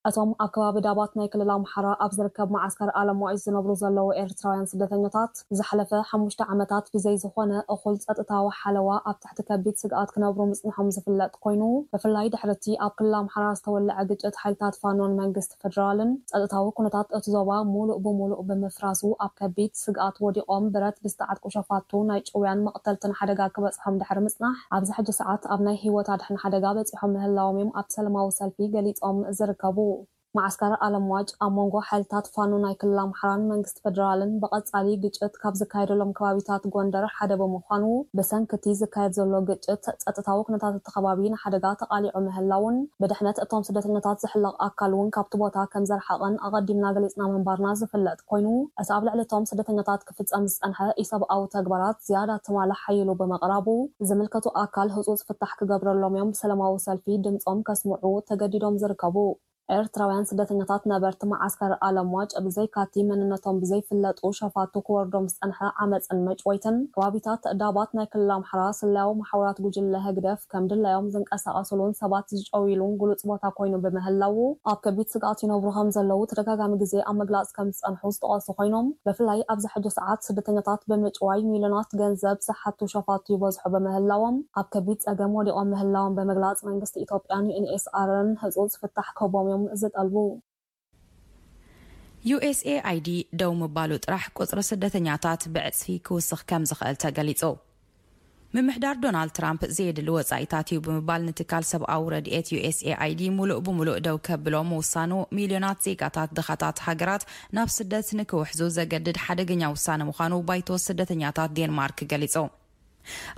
እቶም ኣብ ከባቢ ዳባት ናይ ክልል ኣምሓራ ኣብ ዝርከብ መዓስከር ኣለምዋጭ ዝነብሩ ዘለዉ ኤርትራውያን ስደተኛታት ዝሓለፈ ሓሙሽተ ዓመታት ብዘይ ዝኾነ እኹል ጸጥታዊ ሓለዋ ኣብ ትሕቲ ከቢድ ስግኣት ክነብሩ ምጽንሖም ዝፍለጥ ኮይኑ፣ ብፍላይ ድሕሪ እቲ ኣብ ክልል ኣምሓራ ዝተወለዐ ግጭት ሓይልታት ፋኖን መንግስቲ ፈደራልን ጸጥታዊ ኩነታት እቲ ዞባ ሙሉእ ብሙሉእ ብምፍራሱ ኣብ ከቢድ ስግኣት ወዲቖም ብረት ብዝተዓጥቁ ሸፋቱ ናይ ጭውያን መቕተልትን ሓደጋ ክበጽሖም ድሕሪ ምጽናሕ ኣብዚ ሕጂ ሰዓት ኣብ ናይ ህይወት ኣድሕን ሓደጋ በጺሖም ምህላዎም እዮም ኣብቲ ሰላማዊ ሰልፊ ገሊጾም ዝርከቡ። መዓስከር ኣለምዋጭ ኣብ መንጎ ሓይልታት ፋኖ ናይ ክልል ኣምሓራን መንግስቲ ፈደራልን ብቐጻሊ ግጭት ካብ ዝካየደሎም ከባቢታት ጎንደር ሓደ ብምዃኑ፣ ብሰንኪ እቲ ዝካየድ ዘሎ ግጭት ጸጥታዊ ኩነታት እቲ ከባቢ ንሓደጋ ተቓሊዑ ምህላውን ብድሕነት እቶም ስደተኛታት ዝሕለቕ ኣካል እውን ካብቲ ቦታ ከም ዘርሓቐን ኣቐዲምና ገሊጽና ምንባርና ዝፍለጥ ኮይኑ፣ እቲ ኣብ ልዕሊ እቶም ስደተኛታት ክፍጸም ዝጸንሐ ኢሰብኣዊ ተግባራት ዝያዳ ትማሊ ሓይሉ ብምቕራቡ፣ ዝምልከቱ ኣካል ህጹጽ ፍታሕ ክገብረሎም እዮም ብሰላማዊ ሰልፊ ድምጾም ከስምዑ ተገዲዶም ዝርከቡ። ኤርትራውያን ስደተኛታት ነበርቲ መዓስከር ኣለምዋጭ ብዘይካቲ መንነቶም ብዘይፍለጡ ሸፋቱ ክወርዶም ዝጸንሐ ዓመጽን መጭወይትን ከባቢታት ዳባት ናይ ክልል ኣምሓራ ስለያዊ መሓውራት ጉጅለ ህግደፍ ከም ድላዮም ዝንቀሳቐሱሉን ሰባት ዝጨውይሉን ግሉጽ ቦታ ኮይኑ ብምህላዉ ኣብ ከቢድ ስግኣት ይነብሩ ከም ዘለዉ ተደጋጋሚ ግዜ ኣብ ምግላጽ ከም ዝጸንሑ ዝጠቐሱ ኮይኖም ብፍላይ ኣብዚ ሕጂ ሰዓት ስደተኛታት ብምጭዋይ ሚልዮናት ገንዘብ ዝሓቱ ሸፋቱ ይበዝሑ ብምህላዎም ኣብ ከቢድ ጸገም ወዲቖም ምህላዎም ብምግላጽ መንግስቲ ኢትዮጵያን ዩ ኤን ኤስ ኣርን ህጹጽ ፍታሕ ክህቦም እዮም ዝጠልቡ። ዩ ኤስ ኤ ኣይ ዲ ደው ምባሉ ጥራሕ ቁጽሪ ስደተኛታት ብዕጽፊ ክውስኽ ከም ዝኽእል ተገሊጹ። ምምሕዳር ዶናልድ ትራምፕ ዘየድሊ ወጻኢታት እዩ ብምባል ንትካል ሰብኣዊ ረድኤት ዩ ኤስ ኤ ኣይ ዲ ሙሉእ ብሙሉእ ደው ከብሎ ምውሳኑ፣ ሚልዮናት ዜጋታት ድኻታት ሃገራት ናብ ስደት ንክውሕዙ ዘገድድ ሓደገኛ ውሳነ ምዃኑ ባይቶ ስደተኛታት ዴንማርክ ገሊጹ።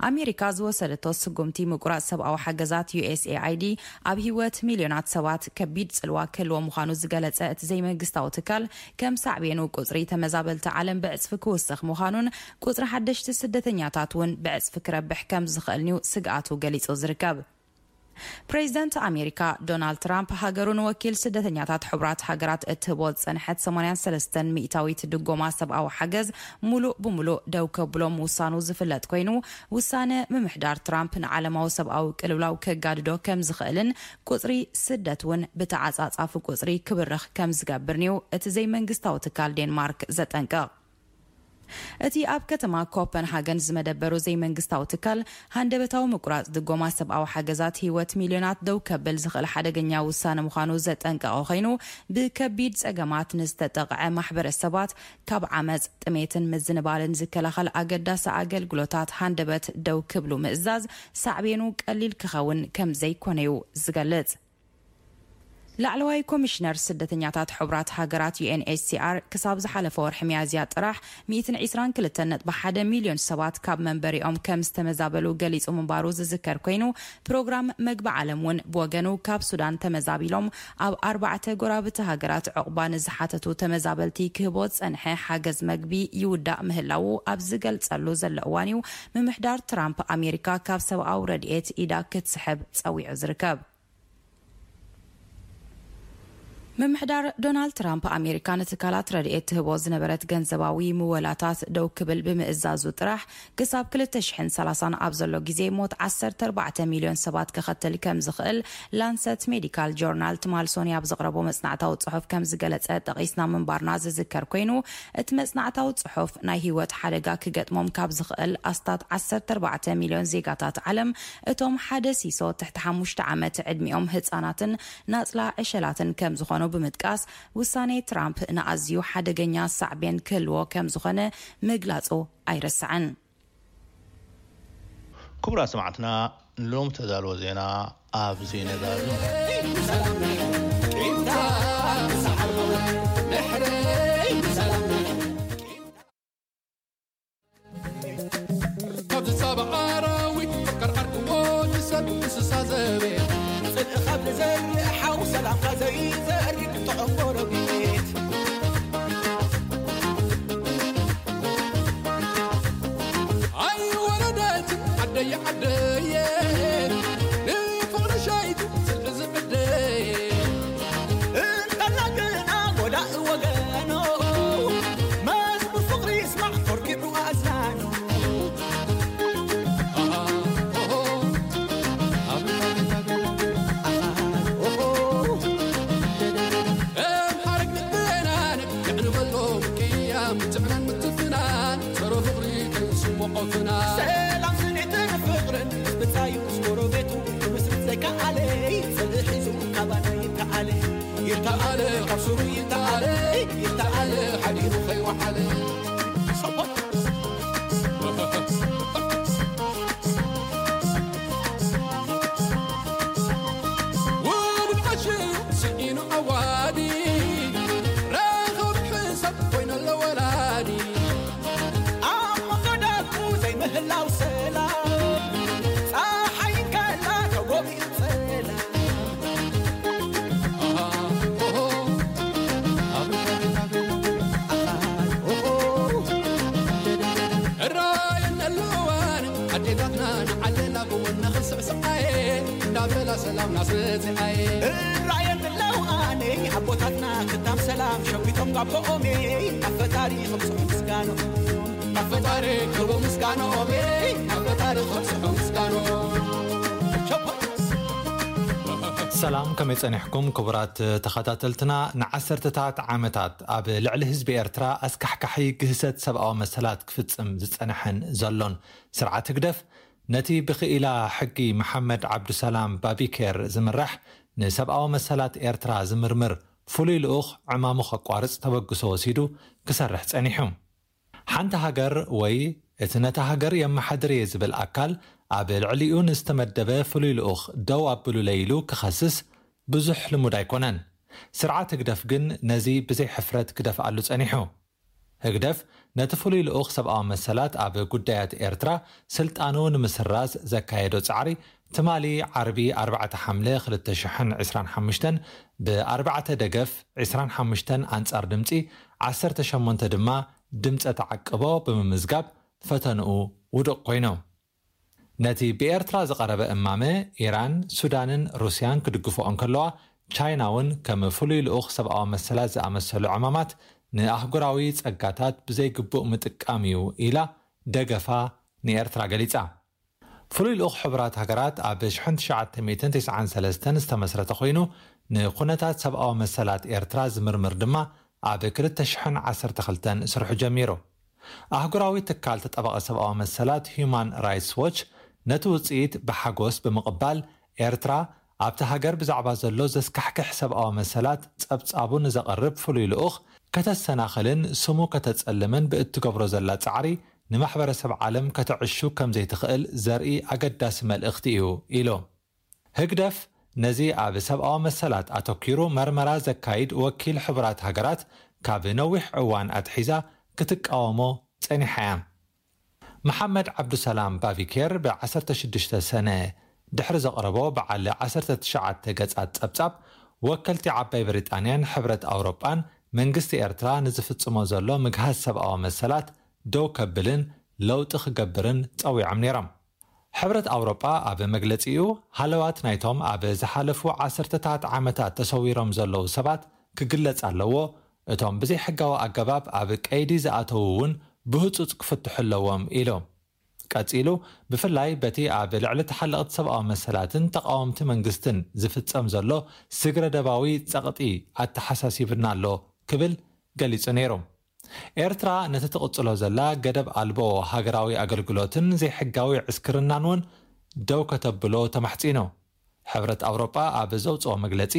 ኣሜሪካ ዝወሰደቶ ስጉምቲ ምቁራጽ ሰብኣዊ ሓገዛት ዩ ኤስ ኤ ኣይ ዲ ኣብ ህይወት ሚልዮናት ሰባት ከቢድ ጽልዋ ክህልዎ ምዃኑ ዝገለጸ እቲ ዘይመንግስታዊ ትካል፣ ከም ሳዕቤኑ ቁጽሪ ተመዛበልቲ ዓለም ብዕጽፊ ክውስኽ ምዃኑን ቁጽሪ ሓደሽቲ ስደተኛታት እውን ብዕጽፊ ክረብሕ ከም ዝኽእልን'ዩ ስግኣቱ ገሊጹ ዝርከብ። ፕሬዚደንት ኣሜሪካ ዶናልድ ትራምፕ ሃገሩ ንወኪል ስደተኛታት ሕቡራት ሃገራት እትህቦ ዝጸንሐት ሰማንያን ሰለስተን ሚእታዊት ድጎማ ሰብኣዊ ሓገዝ ሙሉእ ብሙሉእ ደው ከብሎ ምውሳኑ ዝፍለጥ ኮይኑ፣ ውሳነ ምምሕዳር ትራምፕ ንዓለማዊ ሰብኣዊ ቅልውላው ከጋድዶ ከም ዝኽእልን ቁጽሪ ስደት እውን ብተዓጻጻፊ ቁጽሪ ክብርኽ ከም ዝገብርን'ዩ እቲ ዘይመንግስታዊ ትካል ዴንማርክ ዘጠንቅቕ። እቲ ኣብ ከተማ ኮፐንሃገን ዝመደበሩ ዘይመንግስታዊ ትካል፣ ሃንደበታዊ ምቁራጽ ድጎማ ሰብኣዊ ሓገዛት ህይወት ሚልዮናት ደው ከብል ዝኽእል ሓደገኛ ውሳነ ምዃኑ ዘጠንቀቐ ኮይኑ፣ ብከቢድ ጸገማት ንዝተጠቕዐ ማሕበረሰባት ካብ ዓመጽ፣ ጥሜትን ምዝንባልን ዝከላኸል ኣገዳሲ ኣገልግሎታት ሃንደበት ደው ክብሉ ምእዛዝ ሳዕቤኑ ቀሊል ክኸውን ከም ዘይኮነ'ዩ ዝገልጽ። ላዕለዋይ ኮሚሽነር ስደተኛታት ሕቡራት ሃገራት ዩ ኤን ኤች ሲ ኣር ክሳብ ዝሓለፈ ወርሒ ሚያዝያ ጥራሕ ሚእትን ዕስራን ክልተን ነጥቢ ሓደ ሚልዮን ሰባት ካብ መንበሪኦም ከም ዝተመዛበሉ ገሊጹ ምንባሩ ዝዝከር ኮይኑ፣ ፕሮግራም መግቢ ዓለም እውን ብወገኑ ካብ ሱዳን ተመዛቢሎም ኣብ ኣርባዕተ ጎረባብቲ ሃገራት ዕቑባ ንዝሓተቱ ተመዛበልቲ ክህቦ ዝጸንሐ ሓገዝ መግቢ ይውዳእ ምህላዉ ኣብ ዝገልጸሉ ዘሎ እዋን እዩ ምምሕዳር ትራምፕ ኣሜሪካ ካብ ሰብኣዊ ረድኤት ኢዳ ክትስሕብ ጸዊዑ ዝርከብ። ምምሕዳር ዶናልድ ትራምፕ ኣሜሪካ ንትካላት ረድኤት ትህቦ ዝነበረት ገንዘባዊ ምወላታት ደው ክብል ብምእዛዙ ጥራሕ ክሳብ ክልተ ሽሕን ሰላሳን ኣብ ዘሎ ግዜ ሞት ዓሰርተ ኣርባዕተ ሚልዮን ሰባት ከኸትል ከም ዝኽእል ላንሰት ሜዲካል ጆርናል ትማል ሶኒ ኣብ ዘቕረቦ መጽናዕታዊ ጽሑፍ ከም ዝገለጸ ጠቒስና ምንባርና ዝዝከር ኮይኑ፣ እቲ መጽናዕታዊ ጽሑፍ ናይ ህይወት ሓደጋ ክገጥሞም ካብ ዝኽእል ኣስታት ዓሰርተ ኣርባዕተ ሚልዮን ዜጋታት ዓለም እቶም ሓደ ሲሶ ትሕቲ ሓሙሽተ ዓመት ዕድሚኦም ህጻናትን ናጽላ ዕሸላትን ከም ዝኾኑ ብምጥቃስ፣ ውሳኔ ትራምፕ ንኣዝዩ ሓደገኛ ሳዕቤን ክህልዎ ከም ዝኾነ ምግላጹ ኣይረሳዕን። ክቡራት ሰማዕትና፣ ንሎም ተዳልዎ ዜና ኣብዚ ነዳሉ። ካብ ዝሳብ ኣራዊት ፈቃር ዓርክዎ ንሰብ እንስሳ ዘቤት። ጽልኢ ካብ ዝዘርእ ሓው ሰላምካ ዘይዘርእ ጥዑም ጎረቤት። ኣይወረደትን ዓደየ ዓደየ ንፍቕሪ ሸይቱ ጽልኢ ዝምደየ። እንተላ ግና ጎዳኢ ወገኖ መዝሙር ፍቕሪ ይስማዕ ኮርኪዑ ኣእዛኑ። ጽልእ ሒዙ ካባና ይተዓለ፣ ይተዓለ፣ ካብ ሱሩ ይተዓለ፣ ይተዓለ፣ ሓዲሩ ከይወዓለ። ሰቦት። ውሉድ ዓሽ ስዒኑ ኣዋዲ፣ ረኸብ ሕሰብ ኮይነሎ ወላዲ። ኣብ መንጎ ደቁ ዘይምህላው ሰላም፣ ጸሓይ ከላ ተጎቢኡ ጸላም። ኣሃ፣ ኦሆ፣ ኣቤት፣ ኣቤት፣ ኣቤት፣ ኣሃ፣ ኦሆ። እራየን ኣለዋን ኣዴታትና ንዓለላ ብወና ክንስዕስዓየ፣ እንዳበላ ሰላም ናስበጽዓየ። እራየን ኣለዋን ኣቦታትና ክታም ሰላም ሸዊቶም ጋቦኦሜ፣ ናብ ፈጣሪ ክብጽሑ ምስጋኖ፣ ናብ ፈጣሪ ክብሩ ምስጋኖኦሜ፣ ናብ ፈጣሪ ክብጽሑ ምስጋኖ። ሸፖ። ሰላም፣ ከመይ ጸኒሕኩም ክቡራት ተኸታተልትና? ንዓሰርተታት ዓመታት ኣብ ልዕሊ ህዝቢ ኤርትራ ኣስካሕካሒ ግህሰት ሰብኣዊ መሰላት ክፍጽም ዝጸንሐን ዘሎን ስርዓት ህግደፍ፣ ነቲ ብክኢላ ሕጊ መሓመድ ዓብዱሰላም ባቢኬር ዝምራሕ ንሰብኣዊ መሰላት ኤርትራ ዝምርምር ፍሉይ ልኡኽ ዕማሙ ከቋርጽ ተበግሶ ወሲዱ ክሰርሕ ጸኒሑ። ሓንቲ ሃገር ወይ እቲ ነታ ሃገር የመሓድር እየ ዝብል ኣካል ኣብ ልዕሊኡ ንዝተመደበ ፍሉይ ልኡኽ ደው ኣብሉለይ ኢሉ ክኸስስ ብዙሕ ልሙድ ኣይኮነን። ስርዓት ህግደፍ ግን ነዚ ብዘይ ሕፍረት ክደፍኣሉ ጸኒሑ። ህግደፍ ነቲ ፍሉይ ልኡኽ ሰብኣዊ መሰላት ኣብ ጉዳያት ኤርትራ ስልጣኑ ንምስራዝ ዘካየዶ ጻዕሪ፣ ትማሊ ዓርቢ ኣርባዕተ ሓምለ ክልተ ሽሕን ዕስራን ሓሙሽተን ብ ኣርባዕተ ደገፍ ዕስራን ሓሙሽተን ኣንጻር ድምጺ ዓሰርተ ሸሞንተ ድማ ድምጸ ተዓቅቦ ብምምዝጋብ ፈተንኡ ውዱቕ ኮይኑ። ነቲ ብኤርትራ ዝቐረበ እማመ፣ ኢራን፣ ሱዳንን ሩስያን ክድግፍኦ እንከለዋ፣ ቻይና እውን ከም ፍሉይ ልኡኽ ሰብኣዊ መሰላት ዝኣመሰሉ ዕማማት ንኣህጉራዊ ጸጋታት ብዘይግቡእ ምጥቃም እዩ ኢላ ደገፋ ንኤርትራ ገሊጻ። ፍሉይ ልኡኽ ሕቡራት ሃገራት ኣብ ሽሕን ትሽዓተ ሚእትን ተስዓን ሰለስተን ዝተመስረተ ኮይኑ፣ ንኩነታት ሰብኣዊ መሰላት ኤርትራ ዝምርምር ድማ ኣብ ክልተ ሽሕን ዓሰርተ ክልተን ስርሑ ጀሚሩ። ኣህጉራዊ ትካል ተጣባቒ ሰብኣዊ መሰላት ሂዩማን ራይትስ ዎች ነቲ ውጽኢት ብሓጎስ ብምቕባል፣ ኤርትራ ኣብቲ ሃገር ብዛዕባ ዘሎ ዘስካሕክሕ ሰብኣዊ መሰላት ጸብጻቡ ንዘቕርብ ፍሉይ ልኡኽ ከተሰናኽልን ስሙ ከተጸልምን ብእትገብሮ ዘላ ጻዕሪ ንማሕበረሰብ ዓለም ከተዕሹ ከም ዘይትኽእል ዘርኢ ኣገዳሲ መልእኽቲ እዩ ኢሉ። ህግደፍ ነዚ ኣብ ሰብኣዊ መሰላት ኣተኲሩ መርመራ ዘካይድ ወኪል ሕቡራት ሃገራት ካብ ነዊሕ እዋን ኣትሒዛ ክትቃወሞ ጸኒሓ እያ። መሓመድ ዓብዱሰላም ባቪኬር ብ ዓሰርተ ሽዱሽተ ሰነ ድሕሪ ዘቕረቦ በዓል ዓሰርተ ትሽዓተ ገጻት ጸብጻብ፣ ወከልቲ ዓባይ ብሪጣንያን ሕብረት ኣውሮጳን መንግስቲ ኤርትራ ንዝፍጽሞ ዘሎ ምግሃስ ሰብኣዊ መሰላት ደው ከብልን ለውጢ ክገብርን ጸዊዖም ነይሮም። ሕብረት ኣውሮጳ ኣብ መግለጺኡ፣ ሃለዋት ናይቶም ኣብ ዝሓለፉ ዓሰርተታት ዓመታት ተሰዊሮም ዘለዉ ሰባት ክግለጽ ኣለዎ፣ እቶም ብዘይሕጋዊ ኣገባብ ኣብ ቀይዲ ዝኣተዉ እውን ብህጹጽ ክፍትሑ ኣለዎም ኢሉ። ቀጺሉ፣ ብፍላይ በቲ ኣብ ልዕሊ ተሓለቕቲ ሰብኣዊ መሰላትን ተቓወምቲ መንግስትን ዝፍጸም ዘሎ ስግረ ደባዊ ጸቕጢ ኣተሓሳሲብና ኣሎ ክብል ገሊጹ ነይሩ። ኤርትራ ነቲ ትቕጽሎ ዘላ ገደብ ኣልቦ ሃገራዊ ኣገልግሎትን ዘይሕጋዊ ዕስክርናን እውን ደው ከተብሎ ተማሕጺኑ። ሕብረት ኣውሮጳ ኣብ ዘውጽኦ መግለጺ፣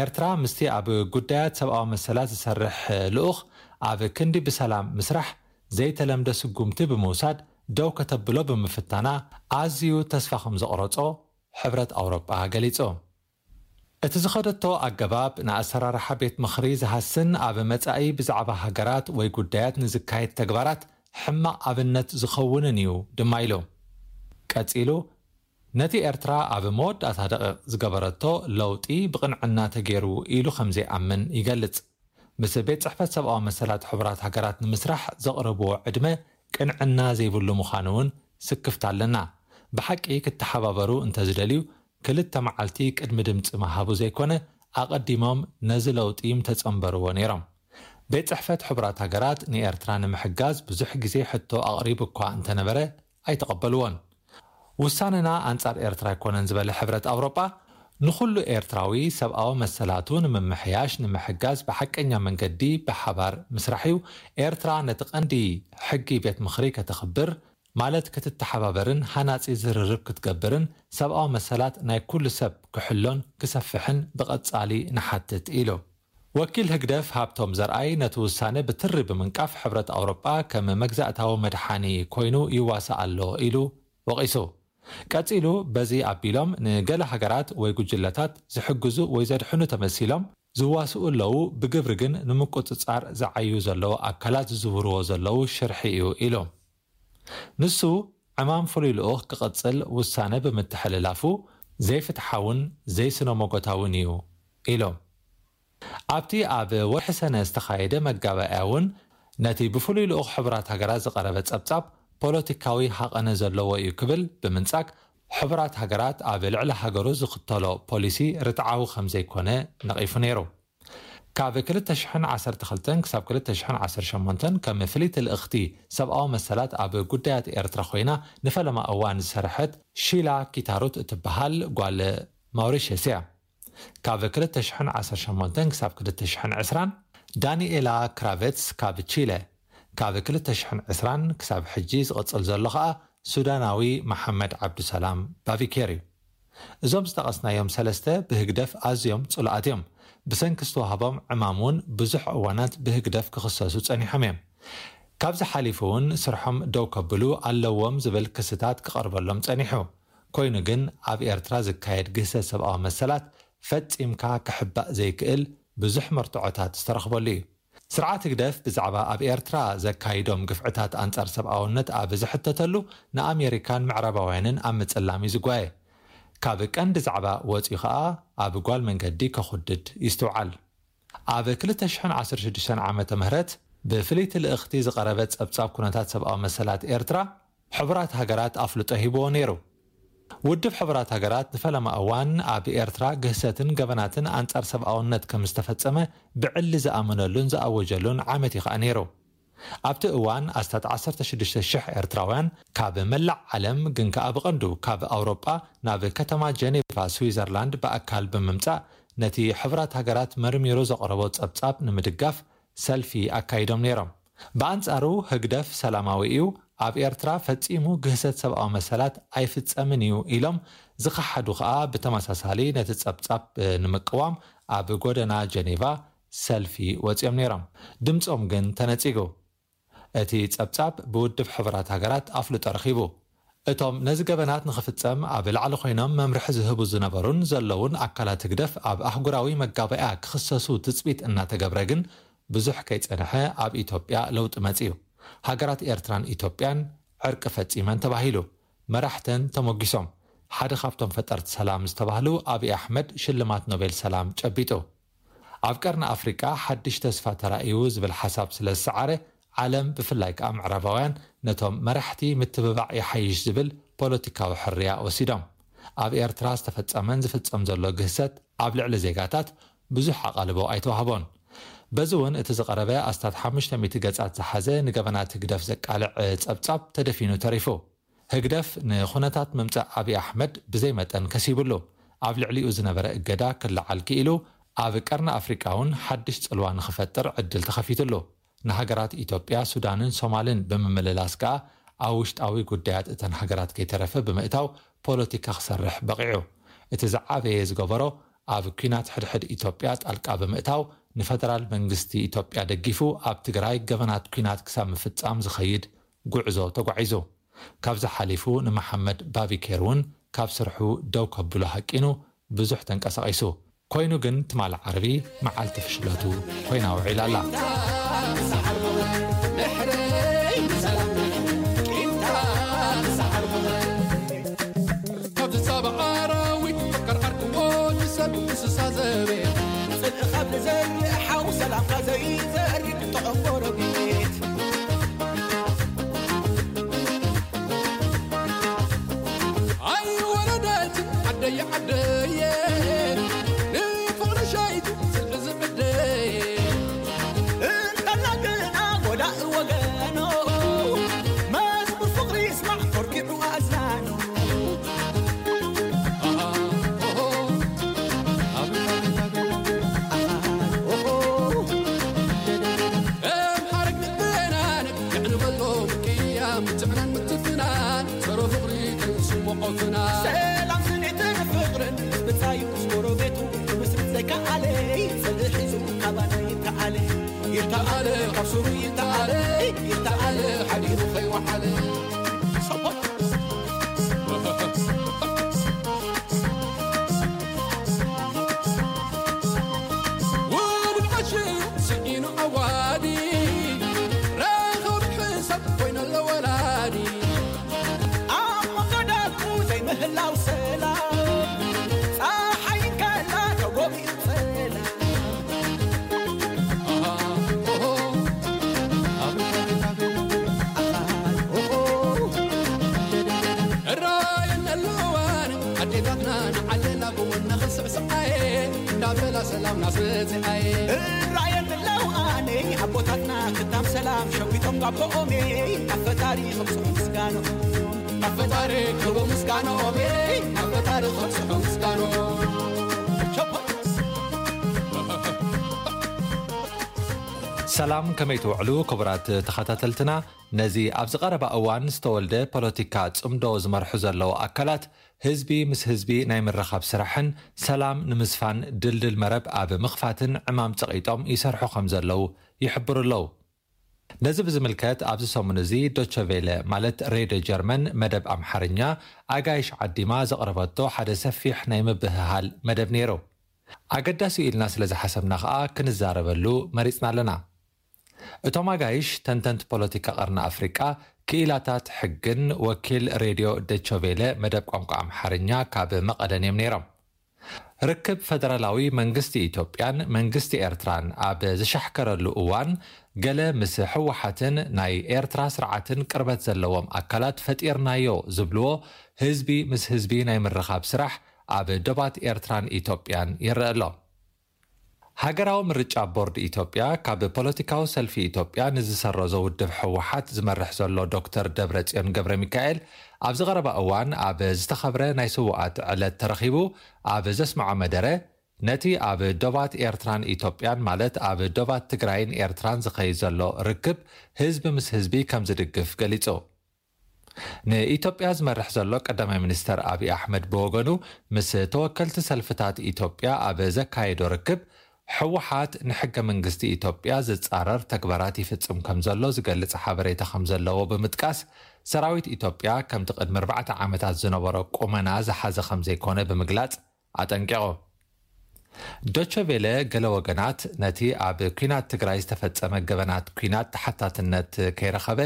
ኤርትራ ምስቲ ኣብ ጉዳያት ሰብኣዊ መሰላት ዝሰርሕ ልኡኽ ኣብ ክንዲ ብሰላም ምስራሕ ዘይተለምደ ስጉምቲ ብምውሳድ ደው ከተብሎ ብምፍታና ኣዝዩ ተስፋ ከም ዘቕረጾ ሕብረት ኣውሮጳ ገሊጹ። እቲ ዝኸደቶ ኣገባብ ንኣሰራርሓ ቤት ምኽሪ ዝሃስን ኣብ መጻኢ ብዛዕባ ሃገራት ወይ ጉዳያት ንዝካየድ ተግባራት ሕማቕ ኣብነት ዝኸውንን እዩ ድማ ኢሉ። ቀጺሉ፣ ነቲ ኤርትራ ኣብ መወዳእታ ደቂቕ ዝገበረቶ ለውጢ ብቕንዕና ተገይሩ ኢሉ ከም ዘይኣምን ይገልጽ። ምስ ቤት ጽሕፈት ሰብኣዊ መሰላት ሕቡራት ሃገራት ንምስራሕ ዘቕረብዎ ዕድመ ቅንዕና ዘይብሉ ምዃኑ እውን ስክፍታ ኣለና። ብሓቂ ክተሓባበሩ እንተዝደልዩ፣ ክልተ መዓልቲ ቅድሚ ድምጺ ምሃቡ ዘይኮነ፣ ኣቐዲሞም ነዚ ለውጢ ምተጸንበርዎ ነይሮም። ቤት ጽሕፈት ሕቡራት ሃገራት ንኤርትራ ንምሕጋዝ ብዙሕ ግዜ ሕቶ ኣቕሪቡ እኳ እንተነበረ፣ ኣይተቐበልዎን። ውሳነና ኣንጻር ኤርትራ ኣይኮነን ዝበለ ሕብረት ኣውሮጳ፣ ንኹሉ ኤርትራዊ ሰብኣዊ መሰላቱ ንምምሕያሽ ንምሕጋዝ ብሓቀኛ መንገዲ ብሓባር ምስራሕ እዩ። ኤርትራ ነቲ ቀንዲ ሕጊ ቤት ምኽሪ ከተኽብር፣ ማለት ክትተሓባበርን ሃናጺ ዝርርብ ክትገብርን ሰብኣዊ መሰላት ናይ ኩሉ ሰብ ክሕሎን ክሰፍሕን ብቐጻሊ ንሓትት ኢሉ። ወኪል ህግደፍ ሃብቶም ዘርኣይ ነቲ ውሳነ ብትሪ ብምንቃፍ ሕብረት ኣውሮጳ ከም መግዛእታዊ መድሓኒ ኮይኑ ይዋሳእ ኣሎ ኢሉ ወቒሱ። ቀጺሉ በዚ ኣቢሎም ንገለ ሃገራት ወይ ጉጅለታት ዝሕግዙ ወይ ዘድሕኑ ተመሲሎም ዝዋስኡ ኣለዉ፣ ብግብሪ ግን ንምቁጽጻር ዝዓዩ ዘለዉ ኣካላት ዝዝውርዎ ዘለዉ ሽርሒ እዩ ኢሉ። ንሱ ዕማም ፍሉይ ልኡኽ ክቕጽል ውሳነ ብምትሕልላፉ ዘይፍትሓውን ዘይስነ መጎታውን እዩ ኢሉ። ኣብቲ ኣብ ወርሒ ሰነ ዝተኻየደ መጋባእያ እውን ነቲ ብፍሉይ ልኡኽ ሕቡራት ሃገራት ዝቐረበ ጸብጻብ ፖለቲካዊ ሃቐነ ዘለዎ እዩ ክብል ብምንጻግ ሕቡራት ሃገራት ኣብ ልዕሊ ሃገሩ ዝኽተሎ ፖሊሲ ርትዓዊ ከም ዘይኮነ ነቒፉ ነይሩ። ካብ ክልተ ሽሕን ዓሰርተ ክልተን ክሳብ ክልተ ሽሕን ዓሰርተ ሸሞንተን ከም ፍልይቲ ልእኽቲ ሰብኣዊ መሰላት ኣብ ጉዳያት ኤርትራ ኮይና ንፈለማ እዋን ዝሰርሐት ሺላ ኪታሩት እትበሃል ጓል ማውሪሸስ እያ። ካብ ክልተ ሽሕን ዓሰርተ ሸሞንተን ክሳብ ክልተ ሽሕን ዕስራን ዳኒኤላ ክራቨትስ ካብ ቺለ፣ ካብ ክልተ ሽሕን ዕስራን ክሳብ ሕጂ ዝቕጽል ዘሎ ኸኣ ሱዳናዊ መሓመድ ዓብዱሰላም ባቢኬር እዩ። እዞም ዝጠቐስናዮም ሰለስተ ብህግደፍ ኣዝዮም ጽሉኣት እዮም። ብሰንኪ ዝተዋህቦም ዕማም እውን ብዙሕ እዋናት ብህግደፍ ክኽሰሱ ጸኒሖም እዮም። ካብዚ ሓሊፉ እውን ስርሖም ደው ከብሉ ኣለዎም ዝብል ክስታት ክቐርበሎም ጸኒሑ። ኮይኑ ግን ኣብ ኤርትራ ዝካየድ ግህሰት ሰብኣዊ መሰላት ፈጺምካ ክሕባእ ዘይክእል ብዙሕ መርትዖታት ዝተረኽበሉ እዩ። ስርዓት ህግደፍ ብዛዕባ ኣብ ኤርትራ ዘካይዶም ግፍዕታት ኣንጻር ሰብኣውነት ኣብ ዝሕተተሉ ንኣሜሪካን ምዕራባውያንን ኣብ ምጽላም እዩ ዝጓየ። ካብ ቀንዲ ዛዕባ ወጺኡ ኸኣ ኣብ ጓል መንገዲ ከኹድድ ይስትውዓል። ኣብ ክልተ ሽሕን ዓሰርተ ሽዱሽተን ዓመተ ምህረት ብፍልይቲ ልእኽቲ ዝቐረበ ጸብጻብ ኩነታት ሰብኣዊ መሰላት ኤርትራ ሕቡራት ሃገራት ኣፍልጦ ሂብዎ ነይሩ። ውድብ ሕቡራት ሃገራት ንፈለማ እዋን ኣብ ኤርትራ ግህሰትን ገበናትን ኣንጻር ሰብኣውነት ከም ዝተፈጸመ ብዕሊ ዝኣመነሉን ዝኣወጀሉን ዓመት እዩ ኸኣ ነይሩ። ኣብቲ እዋን ኣስታት ዓሰርተ ሽዱሽተ ሽሕ ኤርትራውያን ካብ መላእ ዓለም ግን ከኣ ብቐንዱ ካብ ኣውሮጳ ናብ ከተማ ጀኔቫ ስዊዘርላንድ ብኣካል ብምምጻእ ነቲ ሕቡራት ሃገራት መርሚሩ ዘቕረቦ ጸብጻብ ንምድጋፍ ሰልፊ ኣካይዶም ነይሮም። ብኣንጻሩ ህግደፍ ሰላማዊ እዩ፣ ኣብ ኤርትራ ፈጺሙ ግህሰት ሰብኣዊ መሰላት ኣይፍጸምን እዩ ኢሎም ዝኸሓዱ ከኣ ብተመሳሳሊ ነቲ ጸብጻብ ንምቅዋም ኣብ ጎደና ጀኔቫ ሰልፊ ወጺኦም ነይሮም። ድምጾም ግን ተነጺጉ። እቲ ጸብጻብ ብውድብ ሕቡራት ሃገራት ኣፍልጦ ረኺቡ። እቶም ነዚ ገበናት ንኽፍጸም ኣብ ላዕሊ ኮይኖም መምርሒ ዝህቡ ዝነበሩን ዘለውን ኣካላት ህግደፍ ኣብ ኣህጉራዊ መጋባእያ ክኽሰሱ ትጽቢት እናተገብረ ግን ብዙሕ ከይጸንሐ ኣብ ኢትዮጵያ ለውጢ መጺኡ። ሃገራት ኤርትራን ኢትዮጵያን ዕርቂ ፈጺመን ተባሂሉ። መራሕተን ተሞጊሶም። ሓደ ካብቶም ፈጠርቲ ሰላም ዝተባህሉ ኣብይ ኣሕመድ ሽልማት ኖቤል ሰላም ጨቢጡ። ኣብ ቀርኒ ኣፍሪቃ ሓድሽ ተስፋ ተራእዩ ዝብል ሓሳብ ስለ ዝሰዓረ ዓለም ብፍላይ ከኣ ምዕራባውያን ነቶም መራሕቲ ምትብባዕ ይሓይሽ ዝብል ፖለቲካዊ ሕርያ ወሲዶም። ኣብ ኤርትራ ዝተፈጸመን ዝፍጸም ዘሎ ግህሰት ኣብ ልዕሊ ዜጋታት ብዙሕ ኣቓልቦ ኣይተዋህቦን። በዚ እውን እቲ ዝቐረበ ኣስታት ሓሙሽተ ሚእቲ ገጻት ዝሓዘ ንገበናት ህግደፍ ዘቃልዕ ጸብጻብ ተደፊኑ ተሪፉ። ህግደፍ ንኹነታት ምምጻእ ኣብይ ኣሕመድ ብዘይ መጠን ከሲብሉ፣ ኣብ ልዕሊኡ ዝነበረ እገዳ ክለዓል ክኢሉ፣ ኣብ ቀርኒ ኣፍሪቃ እውን ሓድሽ ጽልዋ ንኽፈጥር ዕድል ተኸፊትሉ። ንሃገራት ኢትዮጵያ፣ ሱዳንን ሶማልን ብምምልላስ ከኣ ኣብ ውሽጣዊ ጉዳያት እተን ሃገራት ከይተረፈ ብምእታው ፖለቲካ ክሰርሕ በቒዑ። እቲ ዝዓበየ ዝገበሮ ኣብ ኲናት ሕድሕድ ኢትዮጵያ ጣልቃ ብምእታው ንፈደራል መንግስቲ ኢትዮጵያ ደጊፉ ኣብ ትግራይ ገበናት ኲናት ክሳብ ምፍጻም ዝኸይድ ጉዕዞ ተጓዒዙ። ካብዚ ሓሊፉ ንመሓመድ ባቢኬር እውን ካብ ስርሑ ደው ከብሎ ሃቂኑ ብዙሕ ተንቀሳቒሱ። ኮይኑ ግን ትማል ዓርቢ መዓልቲ ፍሽለቱ ኮይና ውዒላ ኣላ። ካብ ዝሳብ ኣራዊት ከርዓርክዎ ንሰብ እንስሳ ዘቤት ጽልኢ ካብ ዝዘርእ ሓው ሰላምካ ዘይዘርግ ጥዑም ጎረቤት ኣይወረደት ዓደየ ዓደየ ንፍቕሪ ሸይቱ ጽልኢ ዝዕደየ እንተላ ግና ጎዳኢ ወገኖ መዝሙር ፍቕሪ ይስማዕ ኮርኪዑ ኣእዛኑ ኣለ ጽልእ ሒዙ ካባና ይተኣለ፣ ይተኣለ ካብ ሱሩ ይተኣለ፣ ይተኣለ ሓዲሩ ከይወዓለ። ውሉድ ዓሽ ስዒኑ ኣዋዲ፣ ረኸቡ ሕሳብ ኮይነሎ ወላዲ። ኣብ መንጎ ደቁ ዘይምህላው ሰላም፣ ጸሓይ እንከላ ተጎቢኡ ጸላም። እራየን ኣለዋን ኣዴታትና ንዓለና ብወነ ክስዕስዓየ፣ እንዳበላ ሰላም ናስበጽዓየ። እራየን ኣለዋን ኣቦታትና ክታም ሰላም ሸዊቶም ጋቦኦሜ፣ ኣብ ፈጣሪ ክብጽሑ ምስጋኖ፣ ኣብ ፈጣሪ ክቡ ምስጋኖኦሜ፣ ኣብ ፈጣሪ ክብጽሑ ምስጋኖ። ሰላም፣ ከመይ ትውዕሉ ክቡራት ተኸታተልትና? ነዚ ኣብዚ ቀረባ እዋን ዝተወልደ ፖለቲካ ጽምዶ ዝመርሑ ዘለዉ ኣካላት ህዝቢ ምስ ህዝቢ ናይ ምርኻብ ስራሕን ሰላም ንምስፋን ድልድል መረብ ኣብ ምኽፋትን ዕማም ጸቒጦም ይሰርሑ ከም ዘለዉ ይሕብሩ ኣለዉ። ነዚ ብዝምልከት ኣብዚ ሰሙን እዚ ዶቸ ቬለ ማለት ሬድዮ ጀርመን መደብ ኣምሓርኛ ኣጋይሽ ዓዲማ ዘቕረበቶ ሓደ ሰፊሕ ናይ ምብህሃል መደብ ነይሩ። ኣገዳሲ ኢልና ስለ ዝሓሰብና ከኣ ክንዛረበሉ መሪጽና ኣለና። እቶም ኣጋይሽ ተንተንቲ ፖለቲካ ቀርኒ ኣፍሪቃ፣ ክኢላታት ሕግን ወኪል ሬድዮ ደቸ ቬለ መደብ ቋንቋ ኣምሓርኛ ካብ መቐለን እዮም ነይሮም። ርክብ ፈደራላዊ መንግስቲ ኢትዮጵያን መንግስቲ ኤርትራን ኣብ ዝሻሕከረሉ እዋን፣ ገለ ምስ ህወሓትን ናይ ኤርትራ ስርዓትን ቅርበት ዘለዎም ኣካላት ፈጢርናዮ ዝብልዎ ህዝቢ ምስ ህዝቢ ናይ ምርኻብ ስራሕ ኣብ ዶባት ኤርትራን ኢትዮጵያን ይረአ ኣሎ። ሃገራዊ ምርጫ ቦርድ ኢትዮጵያ፣ ካብ ፖለቲካዊ ሰልፊ ኢትዮጵያ ንዝሰረዞ ውድብ ህወሓት ዝመርሕ ዘሎ ዶክተር ደብረጽዮን ገብረ ሚካኤል፣ ኣብዚ ቀረባ እዋን ኣብ ዝተኸብረ ናይ ስዉኣት ዕለት ተረኺቡ ኣብ ዘስምዖ መደረ፣ ነቲ ኣብ ዶባት ኤርትራን ኢትዮጵያን፣ ማለት ኣብ ዶባት ትግራይን ኤርትራን ዝኸይድ ዘሎ ርክብ ህዝቢ ምስ ህዝቢ ከም ዝድግፍ ገሊጹ። ንኢትዮጵያ ዝመርሕ ዘሎ ቀዳማይ ሚኒስተር ኣብይ ኣሕመድ ብወገኑ፣ ምስ ተወከልቲ ሰልፍታት ኢትዮጵያ ኣብ ዘካየዶ ርክብ፣ ህወሓት ንሕገ መንግስቲ ኢትዮጵያ ዝጻረር ተግባራት ይፍጽም ከም ዘሎ ዝገልጽ ሓበሬታ ከም ዘለዎ ብምጥቃስ፣ ሰራዊት ኢትዮጵያ ከምቲ ቅድሚ ኣርባዕተ ዓመታት ዝነበሮ ቁመና ዝሓዘ ከም ዘይኮነ ብምግላጽ ኣጠንቂቑ። ዶቸ ቬለ፣ ገለ ወገናት ነቲ ኣብ ኲናት ትግራይ ዝተፈጸመ ገበናት ኲናት ተሓታትነት ከይረኸበ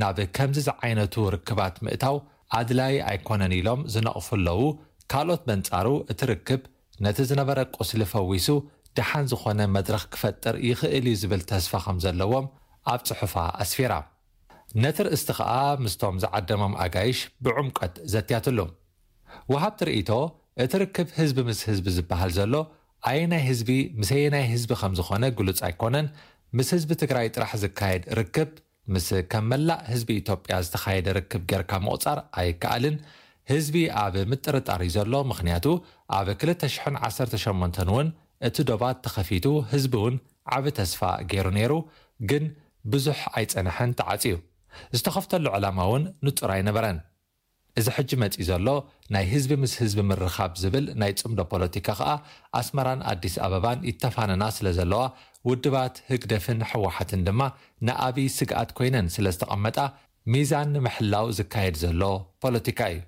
ናብ ከምዚ ዝዓይነቱ ርክባት ምእታው ኣድላይ ኣይኮነን ኢሎም ዝነቕፉ ኣለዉ። ካልኦት በንጻሩ እቲ ርክብ ነቲ ዝነበረ ቁስሊ ፈዊሱ ደሓን ዝኾነ መድረኽ ክፈጥር ይኽእል እዩ ዝብል ተስፋ ከም ዘለዎም ኣብ ጽሑፋ ኣስፊራ። ነቲ ርእስቲ ከኣ ምስቶም ዝዓደሞም ኣጋይሽ ብዕምቆት ዘትያትሉ። ወሃብቲ ርእይቶ፣ እቲ ርክብ ህዝቢ ምስ ህዝቢ ዝበሃል ዘሎ ኣየናይ ህዝቢ ምስ ኣየናይ ህዝቢ ከም ዝኾነ ግሉጽ ኣይኮነን። ምስ ህዝቢ ትግራይ ጥራሕ ዝካየድ ርክብ ምስ ከም መላእ ህዝቢ ኢትዮጵያ ዝተኻየደ ርክብ ጌርካ ምቑጻር ኣይከኣልን። ህዝቢ ኣብ ምጥርጣር እዩ ዘሎ፣ ምኽንያቱ ኣብ ክልተ ሽሕን ዓሰርተ ሸሞንተን እውን እቲ ዶባት ተኸፊቱ ህዝቢ እውን ዓቢ ተስፋ ገይሩ ነይሩ፣ ግን ብዙሕ ኣይጸንሐን ተዓጽዩ። ዝተኸፍተሉ ዕላማ እውን ንጹር ኣይነበረን። እዚ ሕጂ መጺኡ ዘሎ ናይ ህዝቢ ምስ ህዝቢ ምርኻብ ዝብል ናይ ጽምዶ ፖለቲካ ከኣ ኣስመራን ኣዲስ ኣበባን ይተፋነና ስለ ዘለዋ ውድባት ህግደፍን ህወሓትን ድማ ንኣብይ ስግኣት ኮይነን ስለ ዝተቐመጣ ሚዛን ንምሕላው ዝካየድ ዘሎ ፖለቲካ እዩ።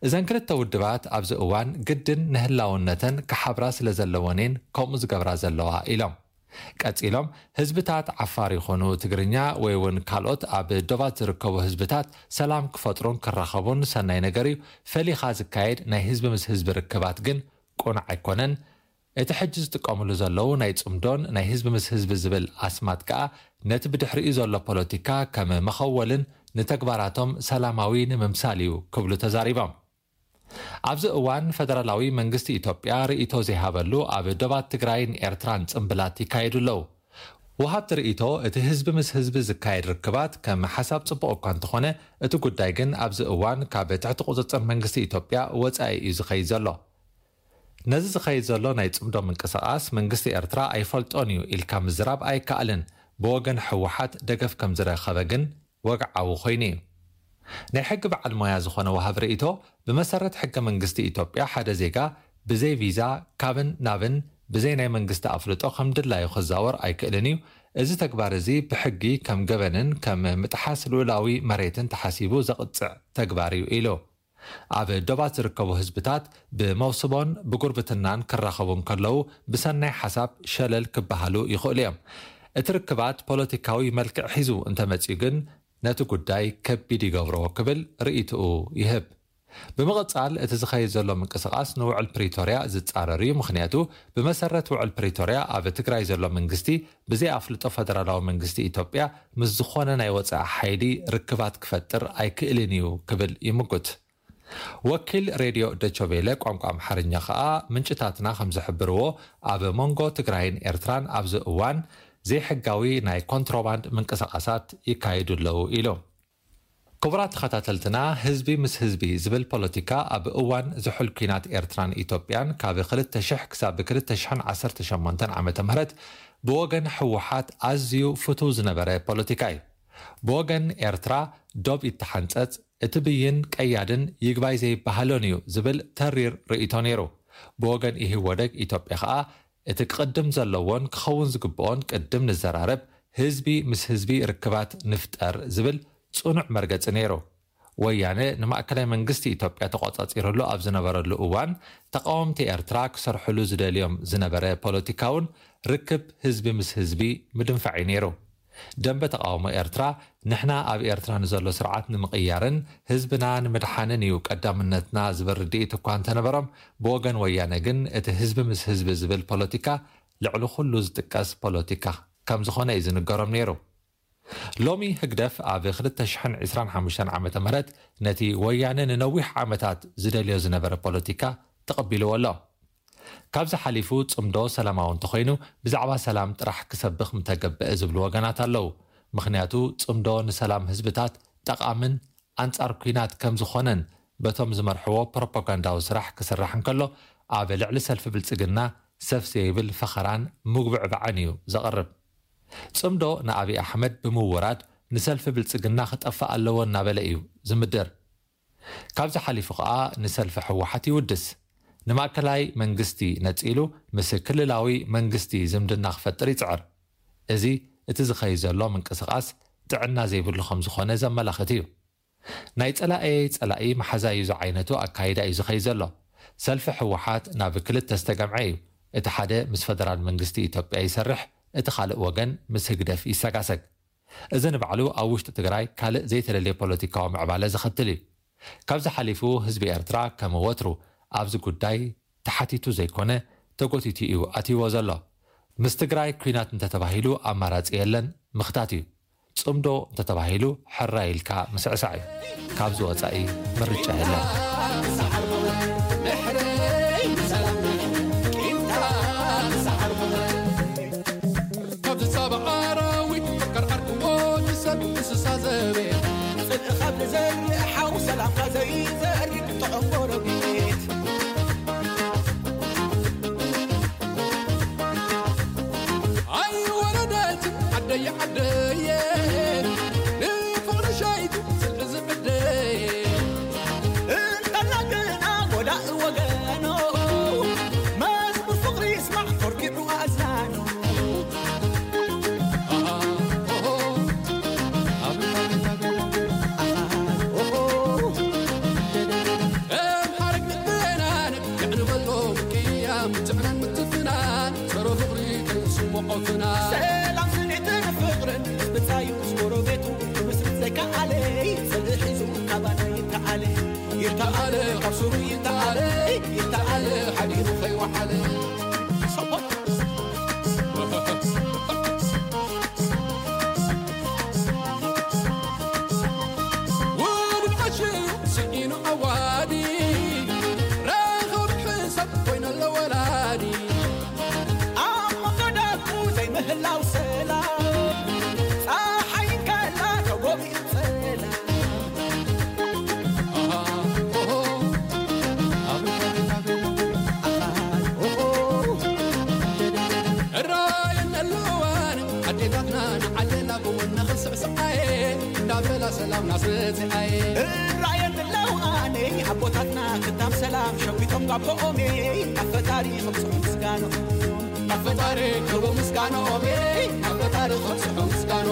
እዘን ክልተ ውድባት ኣብዚ እዋን ግድን ንህላውነተን ክሓብራ ስለ ዘለወን እየን ከምኡ ዝገብራ ዘለዋ ኢሎም። ቀጺሎም፣ ህዝብታት ዓፋር ይኹኑ ትግርኛ ወይ እውን ካልኦት ኣብ ዶባት ዝርከቡ ህዝብታት ሰላም ክፈጥሩን ክራኸቡን ሰናይ ነገር እዩ፣ ፈሊኻ ዝካየድ ናይ ህዝቢ ምስ ህዝቢ ርክባት ግን ቅኑዕ ኣይኮነን። እቲ ሕጂ ዝጥቀሙሉ ዘለዉ ናይ ጽምዶን ናይ ህዝቢ ምስ ህዝቢ ዝብል ኣስማት ከኣ ነቲ ብድሕሪኡ ዘሎ ፖለቲካ ከም መኸወልን ንተግባራቶም ሰላማዊ ንምምሳል እዩ ክብሉ ተዛሪቦም። ኣብዚ እዋን ፈደራላዊ መንግስቲ ኢትዮጵያ ርእይቶ ዘይሃበሉ ኣብ ዶባት ትግራይን ኤርትራን ጽምብላት ይካየዱ ኣለዉ። ወሃብቲ ርእይቶ፣ እቲ ህዝቢ ምስ ህዝቢ ዝካየድ ርክባት ከም ሓሳብ ጽቡቕ እኳ እንተኾነ፣ እቲ ጉዳይ ግን ኣብዚ እዋን ካብ ትሕቲ ቁጽጽር መንግስቲ ኢትዮጵያ ወጻኢ እዩ ዝኸይድ ዘሎ። ነዚ ዝኸይድ ዘሎ ናይ ጽምዶ ምንቅስቓስ መንግስቲ ኤርትራ ኣይፈልጦን እዩ ኢልካ ምዝራብ ኣይከኣልን። ብወገን ህወሓት ደገፍ ከም ዝረኸበ ግን ወግዓዊ ኮይኑ እዩ። ናይ ሕጊ በዓል ሞያ ዝኾነ ወሃብ ርእይቶ፣ ብመሰረት ሕገ መንግስቲ ኢትዮጵያ ሓደ ዜጋ ብዘይ ቪዛ ካብን ናብን ብዘይ ናይ መንግስቲ ኣፍልጦ ከም ድላዩ ክዛወር ኣይክእልን እዩ። እዚ ተግባር እዚ ብሕጊ ከም ገበንን ከም ምጥሓስ ልኡላዊ መሬትን ተሓሲቡ ዘቕጽዕ ተግባር እዩ ኢሉ። ኣብ ዶባት ዝርከቡ ህዝብታት ብመውስቦን ብጉርብትናን ክራኸቡ እንከለዉ ብሰናይ ሓሳብ ሸለል ክበሃሉ ይኽእሉ እዮም። እቲ ርክባት ፖለቲካዊ መልክዕ ሒዙ እንተመጺኡ ግን ነቲ ጉዳይ ከቢድ ይገብሮ ክብል ርእይትኡ ይህብ። ብምቕጻል እቲ ዝኸይድ ዘሎ ምንቅስቓስ ንውዕል ፕሪቶርያ ዝጻረር እዩ። ምኽንያቱ ብመሰረት ውዕል ፕሪቶርያ ኣብ ትግራይ ዘሎ መንግስቲ ብዘይ ኣፍልጦ ፈደራላዊ መንግስቲ ኢትዮጵያ ምስ ዝኾነ ናይ ወጻኢ ሓይሊ ርክባት ክፈጥር ኣይክእልን እዩ ክብል ይምጉት። ወኪል ሬድዮ ደቸቬለ ቋንቋ ኣምሓርኛ ከኣ ምንጭታትና ከም ዝሕብርዎ ኣብ መንጎ ትግራይን ኤርትራን ኣብዚ እዋን ዘይሕጋዊ ናይ ኮንትሮባንድ ምንቅስቓሳት ይካየዱ ኣለዉ ኢሉ። ክቡራት ተኸታተልትና፣ ህዝቢ ምስ ህዝቢ ዝብል ፖለቲካ ኣብ እዋን ዝሑል ኲናት ኤርትራን ኢትዮጵያን ካብ ክልተ ሽሕ ክሳብ ክልተ ሽሕን ዓሰርተ ሸሞንተን ዓመተ ምህረት ብወገን ህወሓት ኣዝዩ ፍቱው ዝነበረ ፖለቲካ እዩ። ብወገን ኤርትራ ዶብ ይተሓንጸጽ፣ እቲ ብይን ቀያድን ይግባይ ዘይበሃሎን እዩ ዝብል ተሪር ርእይቶ ነይሩ። ብወገን ኢህወደግ ኢትዮጵያ ኸኣ እቲ ክቕድም ዘለዎን ክኸውን ዝግብኦን ቅድም ንዘራረብ፣ ህዝቢ ምስ ህዝቢ ርክባት ንፍጠር ዝብል ጽኑዕ መርገጺ ነይሩ። ወያነ ንማእከላይ መንግስቲ ኢትዮጵያ ተቖጻጺሩሉ ኣብ ዝነበረሉ እዋን፣ ተቓወምቲ ኤርትራ ክሰርሕሉ ዝደልዮም ዝነበረ ፖለቲካውን ርክብ ህዝቢ ምስ ህዝቢ ምድንፋዕ እዩ ነይሩ። ደንበ ተቓውሞ ኤርትራ፣ ንሕና ኣብ ኤርትራ ንዘሎ ስርዓት ንምቕያርን ህዝብና ንምድሓንን እዩ ቀዳምነትና ዝብል ርድኢት እኳ እንተነበሮም፣ ብወገን ወያነ ግን እቲ ህዝቢ ምስ ህዝቢ ዝብል ፖለቲካ ልዕሊ ኩሉ ዝጥቀስ ፖለቲካ ከም ዝኾነ እዩ ዝንገሮም ነይሩ። ሎሚ ህግደፍ ኣብ ክልተ ሽሕን ዕስራን ሓሙሽተን ዓመተ ምህረት ነቲ ወያነ ንነዊሕ ዓመታት ዝደልዮ ዝነበረ ፖለቲካ ተቐቢልዎ ኣሎ። ካብዚ ሓሊፉ ጽምዶ ሰላማዊ እንተኾይኑ ብዛዕባ ሰላም ጥራሕ ክሰብኽ ምተገብአ ዝብሉ ወገናት ኣለዉ። ምኽንያቱ ጽምዶ ንሰላም ህዝብታት ጠቓምን ኣንጻር ኲናት ከም ዝኾነን በቶም ዝመርሕዎ ፕሮፓጋንዳዊ ስራሕ ክስራሕ እንከሎ ኣብ ልዕሊ ሰልፊ ብልጽግና ሰፍ ዘይብል ፈኸራን ምጉብዕባዕን እዩ ዘቕርብ። ጽምዶ ንኣብይ ኣሕመድ ብምውራድ ንሰልፊ ብልጽግና ክጠፍእ ኣለዎ እናበለ እዩ ዝምድር። ካብዚ ሓሊፉ ኸኣ ንሰልፊ ህወሓት ይውድስ። ንማእከላይ መንግስቲ ነጺሉ ምስ ክልላዊ መንግስቲ ዝምድና ክፈጥር ይጽዕር። እዚ እቲ ዝኸይድ ዘሎ ምንቅስቓስ ጥዕና ዘይብሉ ከም ዝኾነ ዘመላኽት እዩ። ናይ ጸላኤ ጸላኢ መሓዛዩ ዝዓይነቱ ኣካይዳ እዩ ዝኸይድ ዘሎ። ሰልፊ ህወሓት ናብ ክልተ ዝተገምዐ እዩ። እቲ ሓደ ምስ ፈደራል መንግስቲ ኢትዮጵያ ይሰርሕ፣ እቲ ካልእ ወገን ምስ ህግደፍ ይሰጋሰግ። እዚ ንባዕሉ ኣብ ውሽጢ ትግራይ ካልእ ዘይተደልየ ፖለቲካዊ ምዕባለ ዘኸትል እዩ። ካብዚ ሓሊፉ ህዝቢ ኤርትራ ከም ወትሩ ኣብዚ ጉዳይ ተሓቲቱ ዘይኮነ ተጎቲቱ እዩ ኣትይዎ ዘሎ። ምስ ትግራይ ኲናት እንተተባሂሉ ኣማራጺ የለን፣ ምኽታት እዩ። ጽምዶ እንተተባሂሉ ሕራይ ኢልካ ምስዕሳዕ እዩ። ካብዚ ወጻኢ ምርጫ የለን። ካብ ዝጻባእ ኣራዊት፣ ፈከር ዓርኪ ወዲ ሰብ፣ እንስሳ ዘቤት። ጽልኢ ካብ ዝዘርእ ሓው፣ ሰላምካ ዘይዘርግ ጥዑም ጎረቤት። ኣይ ወረደት ዓደየ ዓደየ፣ ንፍቕሪ ሸይቱ ጽልኢ ዝዕደየ። እንተላ ግና ጎዳኢ ወገኖ፣ መዝሙር ፍቕሪ ይስማዕ ተርኪዑ ኣእዛኑ። ከም ሓረግ ንበናን የዕንበሎ ቅያም፣ ምትዕናን ምትፍናን፣ ጸረ ፍቕሪ ከይስምዖ ፍናን። ሰላም ስኒትን ፍቕርን ብጻዩ ምስ ጎረቤቱ ክምስርት ዘይከኣለ፣ ጽልኢ ሒዙ ካባና ይተዓለ። ይተዓለ፣ ካብ ስሩ ይተዓለ፣ ይተዓለ፣ ሓዲሩ ከይወዓለ። ውሉድ ዓሽ ስኢኑ ዓዋዲ፣ ረኸቢ ሕሰብ ኮይነሎ ወላዲ። ኣብ መንጎ ደቁ ዘይምህላው ሰላም፣ ጸሓይ እንከላ ተጎቢኡ ጸላም። እራየን ኣለዋን ኣዴታትና ንዓደና ብወነ ክንስዕስዓየ፣ እንዳበላ ሰላም ናስረጽዓየ። እራየን ኣነ ኣቦታትና ክታም ሰላም ሸዊቶም ጋቦኦሜ ኣፈጣሪ ከምፅሑ ምስጋኖ ኣፈጣሪ ክቡ ምስጋኖኦሜ ኣፈጣሪ ከምፅሑ ምስጋኖ።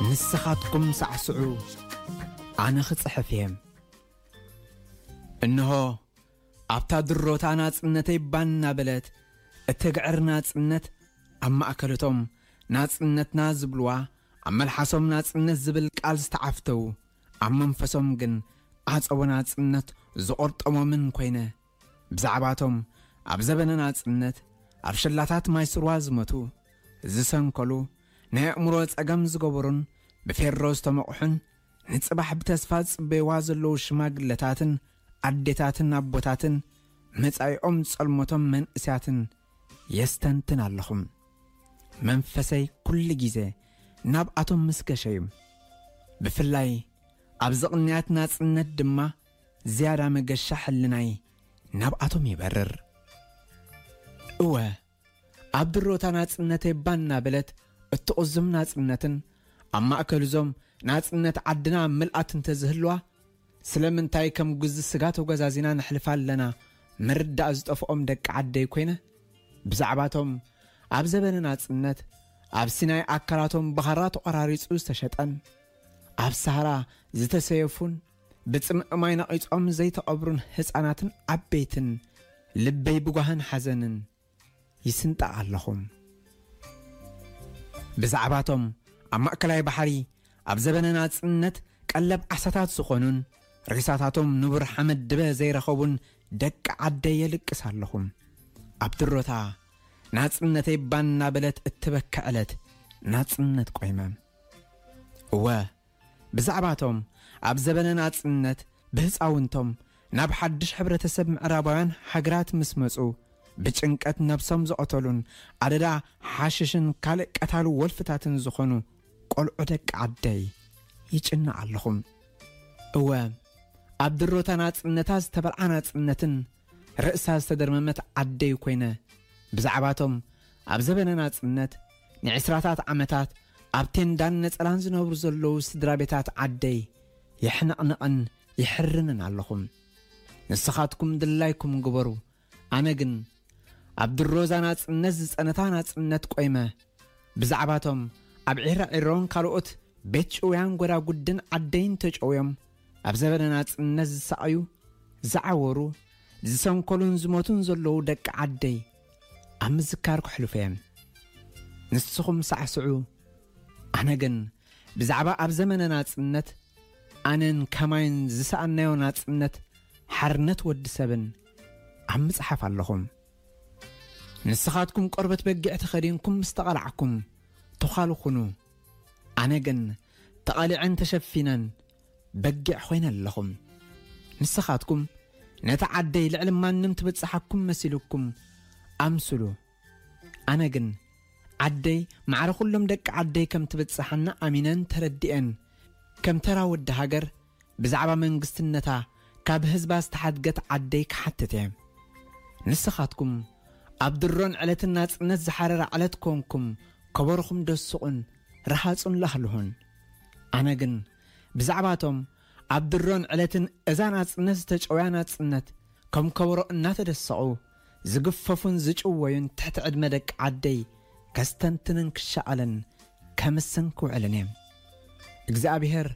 ንስኻትኩም ሳዕስዑ፣ ኣነ ክጽሕፍ እየ። እንሆ ኣብታ ድሮታ ናጽነተይ ባን እናበለት እትግዕር ናጽነት፣ ኣብ ማእከል እቶም ናጽነትና ዝብልዋ፣ ኣብ መልሓሶም ናጽነት ዝብል ቃል ዝተዓፍተው፣ ኣብ መንፈሶም ግን ዓጸቦ ናጽነት ዝቖርጠሞምን ኮይነ፣ ብዛዕባቶም ኣብ ዘበነ ናጽነት ኣብ ሸላታት ማይ ስርዋ ዝመቱ፣ ዝሰንከሉ፣ ናይ ኣእምሮ ጸገም ዝገበሩን ብፌሮ ዝተመቕሑን ንጽባሕ ብተስፋ ዝጽበይዋ ዘለዉ ሽማግለታትን ኣዴታትን ኣቦታትን መጻኢኦም ጸልሞቶም መንእስያትን የስተንትን ኣለኹም። መንፈሰይ ኩሉ ግዜ ናብኣቶም ምስ ገሸ እዩ። ብፍላይ ኣብዚ ቅንያት ናጽነት ድማ ዝያዳ መገሻ ሕልናይ ናብኣቶም ይበርር። እወ፣ ኣብ ድሮታ ናጽነተይ ባን እናበለት እትቑዝም ናጽነትን ኣብ ማእከል እዞም ናጽነት ዓድና ምልኣት እንተዝህልዋ፣ ስለምንታይ ከም ጉዚ ስጋ ተጓዛዚና ነሕልፋ ኣለና ምርዳእ ዝጠፍኦም ደቂ ዓደይ ኮይነ፣ ብዛዕባቶም ኣብ ዘበነ ናጽነት ኣብ ሲናይ ኣካላቶም ብኻራ ተቖራሪጹ ዝተሸጠን፣ ኣብ ሳህራ ዝተሰየፉን፣ ብጽምእ ማይ ነቒጾም ዘይተቐብሩን ህጻናትን ዓበይትን ልበይ ብጓህን ሓዘንን ይስንጣ ኣለኹም። ብዛዕባቶም ኣብ ማእከላይ ባሕሪ ኣብ ዘበነ ናጽነት ቀለብ ዓሳታት ዝኾኑን ሬሳታቶም ንቡር ሓመድ ድበ ዘይረኸቡን ደቂ ዓደይ የልቅስ ኣለኹም። ኣብ ድሮታ ናጽነተይ ባን እናበለት እትበክዕ ዕለት ናጽነት ቆይመ። እወ፣ ብዛዕባቶም ኣብ ዘበነ ናጽነት ብህጻውንቶም ናብ ሓድሽ ሕብረተሰብ ምዕራባውያን ሃገራት ምስ መጹ፣ ብጭንቀት ነብሶም ዝቐተሉን ኣደዳ ሓሽሽን ካልእ ቀታሊ ወልፍታትን ዝኾኑ ቆልዑ ደቂ ዓደይ ይጭንቕ ኣለኹም። እወ፣ ኣብ ድሮታ ናጽነታ ዝተበልዓ ናጽነትን ርእሳ ዝተደርመመት ዓደይ ኮይነ፣ ብዛዕባቶም ኣብ ዘበነ ናጽነት ንዕስራታት ዓመታት ኣብ ቴንዳን ነጸላን ዝነብሩ ዘለዉ ስድራ ቤታት ዓደይ የሕነቕንቕን የሕርንን ኣለኹም። ንስኻትኩም ድላይኩም ግበሩ። ኣነ ግን ኣብ ድሮዛ ናጽነት ዝጸነታ ናጽነት ቆይመ፣ ብዛዕባቶም ኣብ ዒራዒሮን ካልኦት ቤት ጭውያን ጎዳጉድን ዓደይን ተጨውዮም ኣብ ዘበነ ናጽነት ዝሳቐዩ፣ ዝዓወሩ፣ ዝሰንከሉን ዝሞቱን ዘለዉ ደቂ ዓደይ ኣብ ምዝካር ከሕልፎ እየ። ንስኹም ሳዕስዑ፣ ኣነ ግን ብዛዕባ ኣብ ዘመነ ናጽነት ኣነን ከማይን ዝሰኣናዮ ናጽነት ሓርነት ወዲ ሰብን ኣብ ምጽሓፍ ኣለኹም። ንስኻትኩም ቆርበት በጊዕ ተኸዲንኩም ምስ ተቐላዕኩም፣ ተዃሉ ኩኑ። ኣነ ግን ተቐሊዐን ተሸፊነን በጊዕ ኮይነ ኣለኹም። ንስኻትኩም ነታ ዓደይ ልዕሊ ማንም ትብጽሓኩም መሲልኩም ኣምስሉ። ኣነ ግን ዓደይ ማዕረ ኩሎም ደቂ ዓደይ ከም ትብጽሓና ኣሚነን ተረዲኤን፣ ከም ተራ ወዲ ሃገር ብዛዕባ መንግስትነታ ካብ ህዝባ ዝተሓድገት ዓደይ ክሓትት እየ። ንስኻትኩም ኣብ ድሮን ዕለትን ናጽነት ዝሓረረ ዕለት ኮንኩም ከበሮኹም ደስቑን ረሃጹን ላህልሁን። ኣነ ግን ብዛዕባቶም ኣብ ድሮን ዕለትን እዛ ናጽነት ዝተጨውያ ናጽነት ከም ከበሮ እናተደሰቑ ዝግፈፉን ዝጭወዩን ትሕቲ ዕድመ ደቂ ዓደይ ከስተንትንን ክሻቐልን ከምስን ክውዕልን እየ። እግዚኣብሔር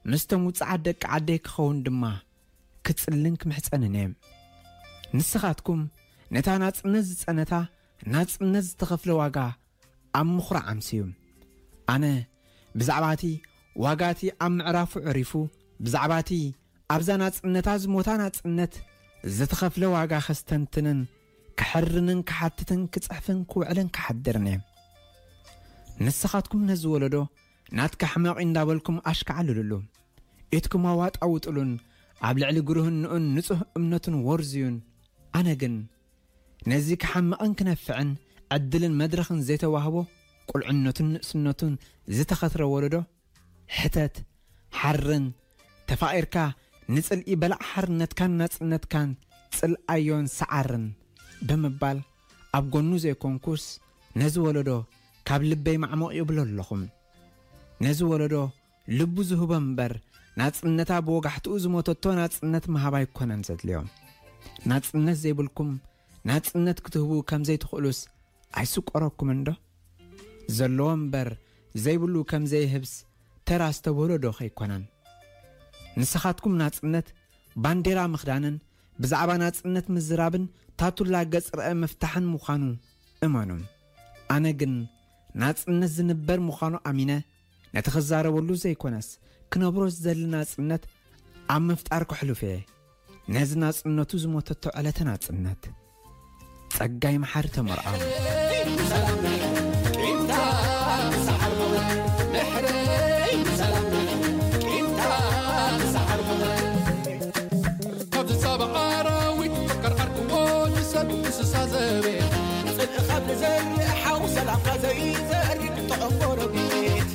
ምስቶም ውጽዓት ደቂ ዓደይ ክኸውን ድማ ክጽልን ክምሕጸንን እየ። ንስኻትኩም ነታ ናጽነት ዝጸነታ ናጽነት ዝተኸፍለ ዋጋ ኣብ ምኹራዕ ኣምስዩ። ኣነ ብዛዕባ እቲ ዋጋ እቲ ኣብ ምዕራፉ ዕሪፉ፣ ብዛዕባ እቲ ኣብዛ ናጽነታ ዝሞታ ናጽነት ዝተኸፍለ ዋጋ ከስተንትንን ክሕርንን ክሓትትን ክጽሕፍን ክውዕልን ክሓድርን እየ። ንስኻትኩም ነዚ ወለዶ ናትካ ሕመቕ እንዳበልኩም ኣሽካዕልሉሉ። ኢድኩም ኣዋጣውጥሉን ኣብ ልዕሊ ግርህንኡን ንጹህ እምነቱን ወርዝዩን። ኣነ ግን ነዚ ክሓምቕን ክነፍዕን ዕድልን መድረኽን ዘይተዋህቦ፣ ቁልዕነቱን ንእስነቱን ዝተኸትረ ወለዶ፣ ሕተት፣ ሓርን፣ ተፋቒርካ ንጽልኢ በላዕ ሓርነትካን ናጽነትካን ጽልኣዮን ሰዓርን ብምባል ኣብ ጎኑ ዘይኮንኩስ፣ ነዚ ወለዶ ካብ ልበይ ማዕሞቕ ይብሎ ኣለኹ። ነዚ ወለዶ ልቡ ዝህቦ እምበር፣ ናጽነታ ብወጋሕትኡ ዝሞተቶ ናጽነት ምሃብ ኣይኮነን ዘድልዮ። ናጽነት ዘይብልኩም ናጽነት ክትህቡ ከም ዘይትኽእሉስ ኣይስቆረኩምን ዶ? ዘለዎ እምበር ዘይብሉ ከም ዘይህብስ ተራ ዝተብህሎ ዶ ከይኮነን? ንስኻትኩም ናጽነት ባንዴራ ምኽዳንን ብዛዕባ ናጽነት ምዝራብን ታቱላ ገጽ ርአ ምፍታሕን ምዃኑ እመኑ። ኣነ ግን ናጽነት ዝንበር ምዃኑ ኣሚነ ነቲ ክዛረበሉ ዘይኮነስ ክነብሮ ዝደሊ ናጽነት ኣብ ምፍጣር ከሕልፎ እየ። ነዚ ናጽነቱ ዝሞተቶ ዕለተ ናጽነት። ጸጋይ መሓሪ ተመርዓው። ካብዚ ጻባ ኣራዊት ቀርቀርክዎ ንሰብ እንስሳ ዘቤት ጽልኢ ካብ ንዘርእ ሓው ሰላምካ ዘይዘርእ ጥዑም ጎረቤት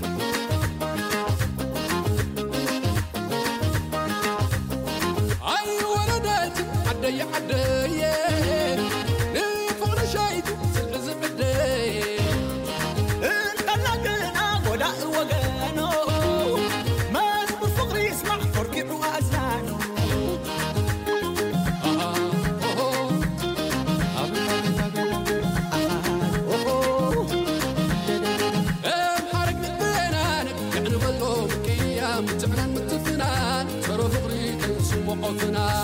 ኣይወረደት ዓደየ ዓደየ ንፍቕሪ ሸይቱ ጽልኢ ዝዕደየ እንተላ ግና ጎዳኢ ወገኖ መዝሙር ፍቕሪ ይስማዕ ኮርኪዑ ኣዝናኑ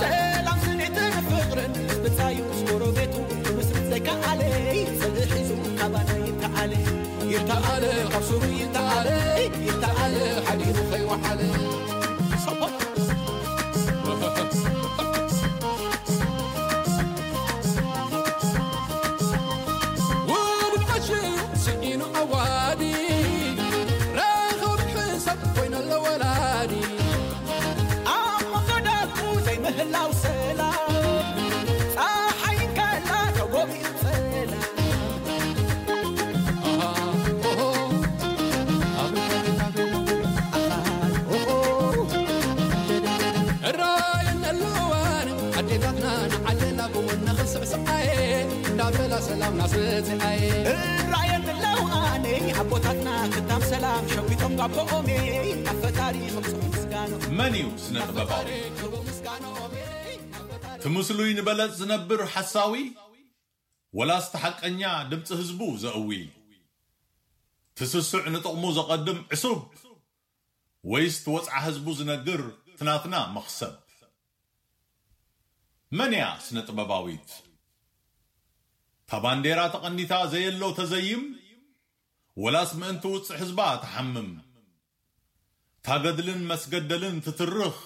ሰላም ስኒትን ፍቕርን ብጻዩ ምስ ጎረቤቱ ምስርት ዘይከኣለ ጽልኢ ሒዙ ካባና ይተዓለ ይተዓለ ካብ ሱሩ ይተዓለ ይተዓለ ሓዲሩ ከይወዓለ ኣቦታትና ክታም ሰላም ሸዊቶም ጋቦኦሜ ኣብ ፈጣሪ ክብፅሑ ምስጋኖ መን እዩ ስነ ጥበባዊ? ትምስሉይ ንበለጽ ዝነብር ሓሳዊ ወላስ ተሓቀኛ ድምፂ ህዝቡ ዘእዊ? ትስስዕ ንጥቕሙ ዘቐድም ዕሱብ ወይስ ትወፅዓ ህዝቡ ዝነግር ትናትና መኽሰብ? መን እያ ስነ ጥበባዊት? ታባንዴራ ተቐኒታ ዘየሎ ተዘይም ወላስ ምእንቲ ውፅዕ ህዝባ ትሓምም? ታገድልን መስገደልን ትትርኽ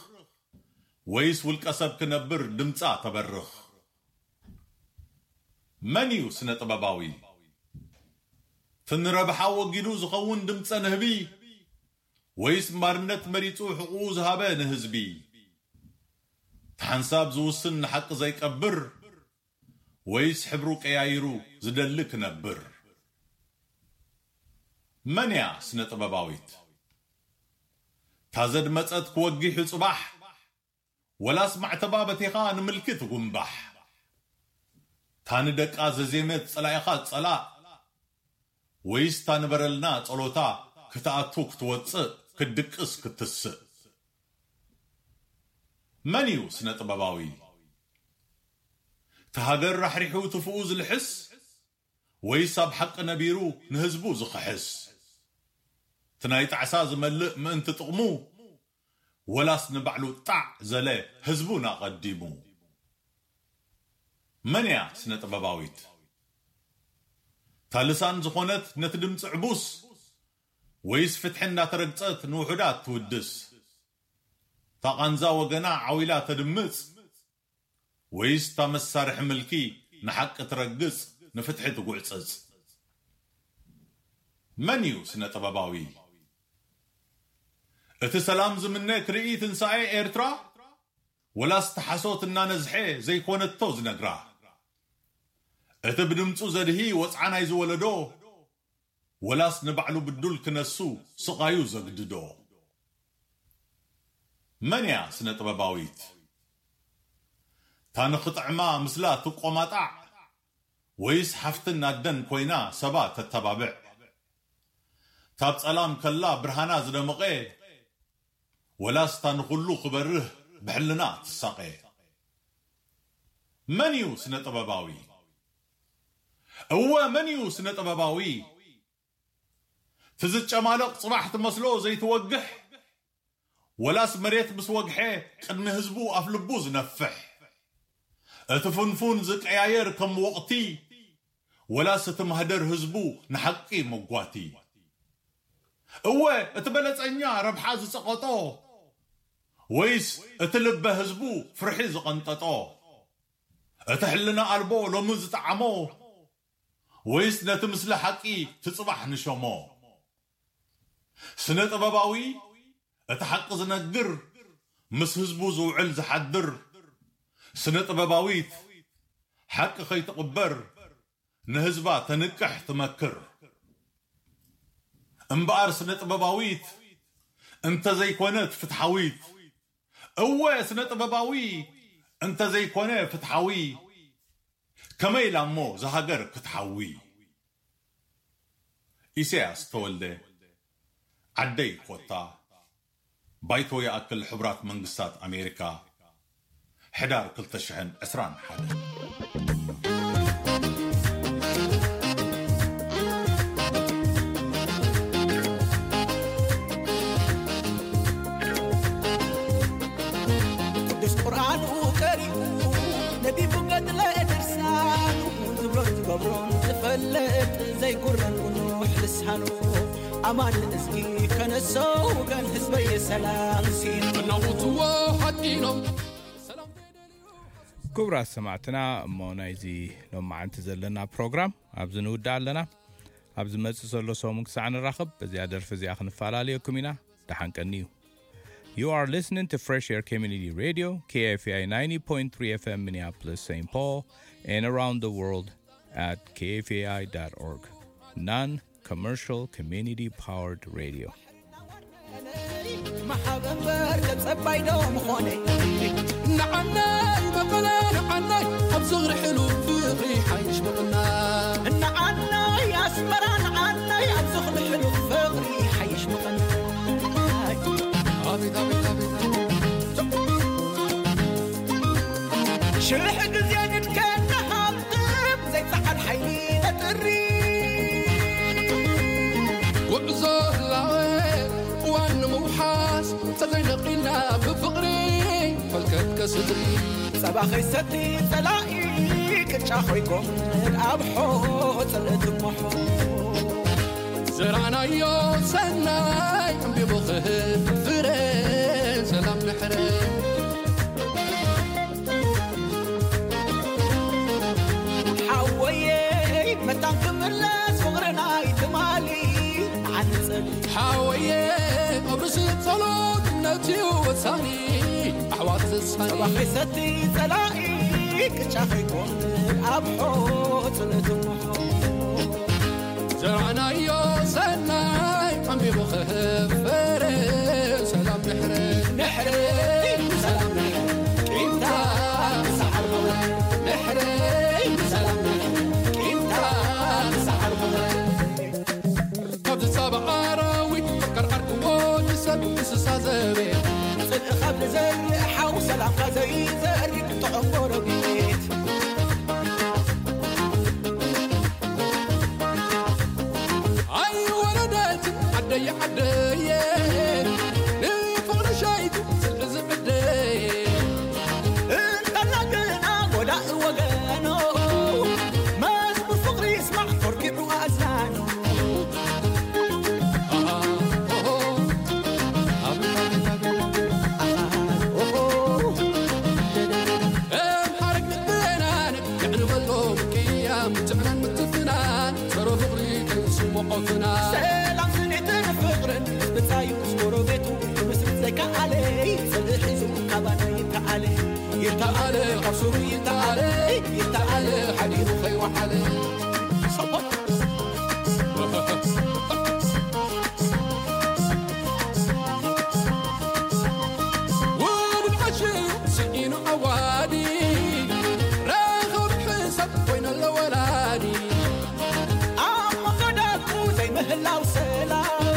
ወይስ ውልቀ ሰብ ክነብር ድምፃ ተበርኽ? መን እዩ ስነ ጥበባዊ? ትንረብሓ ወጊዱ ዝኸውን ድምፀ ንህቢ ወይስ ማርነት መሪፁ ሕቑኡ ዝሃበ ንህዝቢ? ትሓንሳብ ዝውስን ንሓቂ ዘይቀብር ወይስ ሕብሩ ቀያይሩ ዝደሊ ክነብር? መን እያ ስነ ጥበባዊት? ታዘድመጸት ክወጊሑ ጽባሕ ወላስ ማዕተባ በቲኻ ንምልኪ ትጉንባሕ? ታንደቃ ዘዜመት ጸላኢኻ ጸላእ ወይስ ታንበረልና ጸሎታ ክትኣቱ ክትወጽእ ክትድቅስ ክትስእ? መን እዩ ስነ ጥበባዊ? ተሃገር ራሕሪሑ ትፍኡ ዝልሕስ ወይስ ኣብ ሓቂ ነቢሩ ንህዝቡ ዝኽሕስ? እቲ ናይ ጣዕሳ ዝመልእ ምእንቲ ጥቕሙ ወላስ ንባዕሉ ጣዕ ዘለ ህዝቡን ኣቐዲሙ? መን እያ ስነ ጥበባዊት? እታ ልሳን ዝኾነት ነቲ ድምፂ ዕቡስ ወይስ ፍትሒ እንዳተረግፀት ንውሑዳት ትውድስ? እታ ቃንዛ ወገና ዓው ኢላ ተድምፅ ወይስ እታ መሳርሒ ምልኪ ንሓቂ ትረግፅ ንፍትሒ ትጉዕፅፅ? መን እዩ ስነ ጥበባዊ? እቲ ሰላም ዝምነ ክርኢ ትንሳኤ ኤርትራ ወላስ እቲ ሓሶት እናነዝሐ ዘይኮነቶ ዝነግራ? እቲ ብድምፁ ዘድሂ ወፅዓ ናይዚ ወለዶ ወላስ ንባዕሉ ብዱል ክነሱ ስቓዩ ዘግድዶ? መን እያ ስነ ጥበባዊት? እታ ንኽጥዕማ ምስላ ትቆማጣዕ ወይስ ሓፍትን ኣደን ኮይና ሰባ ተተባብዕ? ካብ ጸላም ከላ ብርሃና ዝደመቐ፣ ወላስ እታ ንኹሉ ክበርህ ብሕልና ትሳቐ? መን እዩ ስነ ጥበባዊ? እወ፣ መን እዩ ስነ ጥበባዊ? ትዝጨማለቕ ጽባሕ ትመስሎ ዘይትወግሕ፣ ወላስ መሬት ምስ ወግሐ ቅድሚ ህዝቡ ኣፍ ልቡ ዝነፍሕ? እቲ ፍንፉን ዝቀያየር ከም ወቕቲ፣ ወላስ እቲ ማህደር ህዝቡ ንሓቂ መጓቲ? እወ፣ እቲ በለጸኛ ረብሓ ዝጸቐጦ፣ ወይስ እቲ ልበ ህዝቡ ፍርሒ ዝቐንጠጦ? እቲ ሕልና ኣልቦ ሎሚ ዝጠዓሞ፣ ወይስ ነቲ ምስሊ ሓቂ ትጽባሕ ንሸሞ? ስነ ጥበባዊ እቲ ሓቂ ዝነግር፣ ምስ ህዝቡ ዝውዕል ዝሓድር። ስነ ጥበባዊት ሓቂ ከይትቕበር፣ ንህዝባ ተንቅሕ ትመክር። እምበኣር ስነ ጥበባዊት እንተዘይኮነት ፍትሓዊት፣ እወ ስነ ጥበባዊ እንተዘይኮነ ፍትሓዊ፣ ከመይ ኢላ እሞ ዝሃገር ክትሓዊ? ኢሳያስ ተወልደ፣ ዓደይ ኮታ፣ ባይቶ ይኣክል ሕቡራት መንግስታት ኣሜሪካ፣ ሕዳር ክልተ ሽሕን ዕስራን ሓደን። ቅዱስ ቁርኣኑ ቀሪኡ ነቢቡ ገድለ ድርሳኑ ዝብሎን ዝገብሮን ዝፈልጥ ዘይጉረን ጉኑሕ ልሳኑ ኣማን እዝጊ ከነሶ ወገን ህዝበይ ሰላም ሲን እናውትዎ ሓቂኖም ክቡራት ሰማዕትና እሞ ናይዚ ሎማዓንቲ ዘለና ፕሮግራም ኣብዚ ንውዳእ ኣለና። ኣብ ዝመፅእ ዘሎ ሰሙን ክሳዕ ንራኸብ በዚኣ ደርፊ እዚኣ ክንፈላለየኩም ኢና። ደሓን ቀንዩ። You are listening to Fresh Air Community Radio, K F A I ninety point three F M Minneapolis, Saint Paul, and around the world at K F A I dot org. Non commercial community powered radio. መሓበንበር ተጸባይ ዶ ምኾነ ንዓናይ መቐለ ንዓናይ ኣብ ዝኽሪ ሕሉፍ ፍቕሪ ሓይሽ ምቕና ንዓናይ ኣስመራ ንዓናይ ኣብ ዝኽሪ ሕሉፍ ፍቕሪ ሓይሽ ምቕና ሽሕ ግዜ ንድከና ሃብትም ዘይጸዓድ ሓይሊ ነጥሪ ጉዕዞ ህላወ እዋን ንምውሓስ ተዘይነቒልና ብፍቕሪ ፈልከት ከስድሪ ጸባ ኸይሰቲ ጸላኢ ቅጫ ኾይኮም ኣብ ሖ ጽልእቲ ሞሖ ዘራናዮ ሰናይ ዕምቢቡ ክህብ ፍረ ሰላም ንሕረ ሓወየይ መታን ክምለስ ፍቕርናይ ትማሊ ዓንጽል ሓወየ ኣብ ርእሲ ጸሎት እምነት እዩ ወሳኒ ኣሕዋት ዘሳኒ ጸባ ኸይሰቲ ጸላኢ ቅጫ ኸይኮን ኣብ ሖ ጽልእቲ ሞሖ ዘራናዮ ሰናይ ዓምቢቡ ክህብ ፍረ ሰላም ንሕረ ንሕረ ሰላም ንሕረ ቂምታ ምሳሓር መውረ ንሕረ ሰላም ንሕረ ቂምታ ምሳሓር መውረ ካብ ዝሳብ ኣራዊት ፈከር ዓርክዎ ንሰብ እንስሳ ዘቤት ጽድቂ ካብ ንዘርእ ሓው ሰላምካ ዘይዘርእ ጥዑም ጎረቤት ኣይወረደትን ዓደየ ዓደየ ንፍቕሪ ሸይቱ ስልሒ ዝዕደየ እንተላ ግና ጎዳእ ወገኖ መዝሙር ፍቕሪ ይስማዕ ኮርኪዑ ኣእዛኑ ኣምሓረግ ንበናን የዕንበሎም ቅያም ትዕናን ምትፍናን ሰሮ ፍቕሪ ከይስምዖ ፍናን ሰላም ስኒትን ፍቕርን ብጻዩ ምስ ጎረቤቱ ክምስርት ዘይከኣለ ጽልኢ ሒዙ ካባና ይተኣለ ይተኣለ ካብ ሱሩ ይተኣለ ይተኣለ ሓዲሩ ከይወዓለ ውሉድ ዓሽዩ ስኢኑ ዓዋዲ ረኸብ ሕሳብ ኮይነሎ ወላዲ ኣብ መኸዳቱ ዘይምህላው ሰላም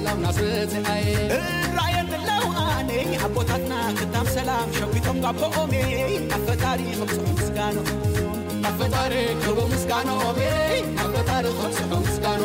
ሰላም ናስረትኣየ እራየን ኣለዉ ኣነ ኣቦታትና ክታም ሰላም ሸዊቶም ጋቦኦሜ ኣፈጣሪ ክብፅሑ ምስጋኖ ኣፈጣሪ ክቡ ምስጋኖኦሜ ኣፈጣሪ ክብፅሑ ምስጋኖ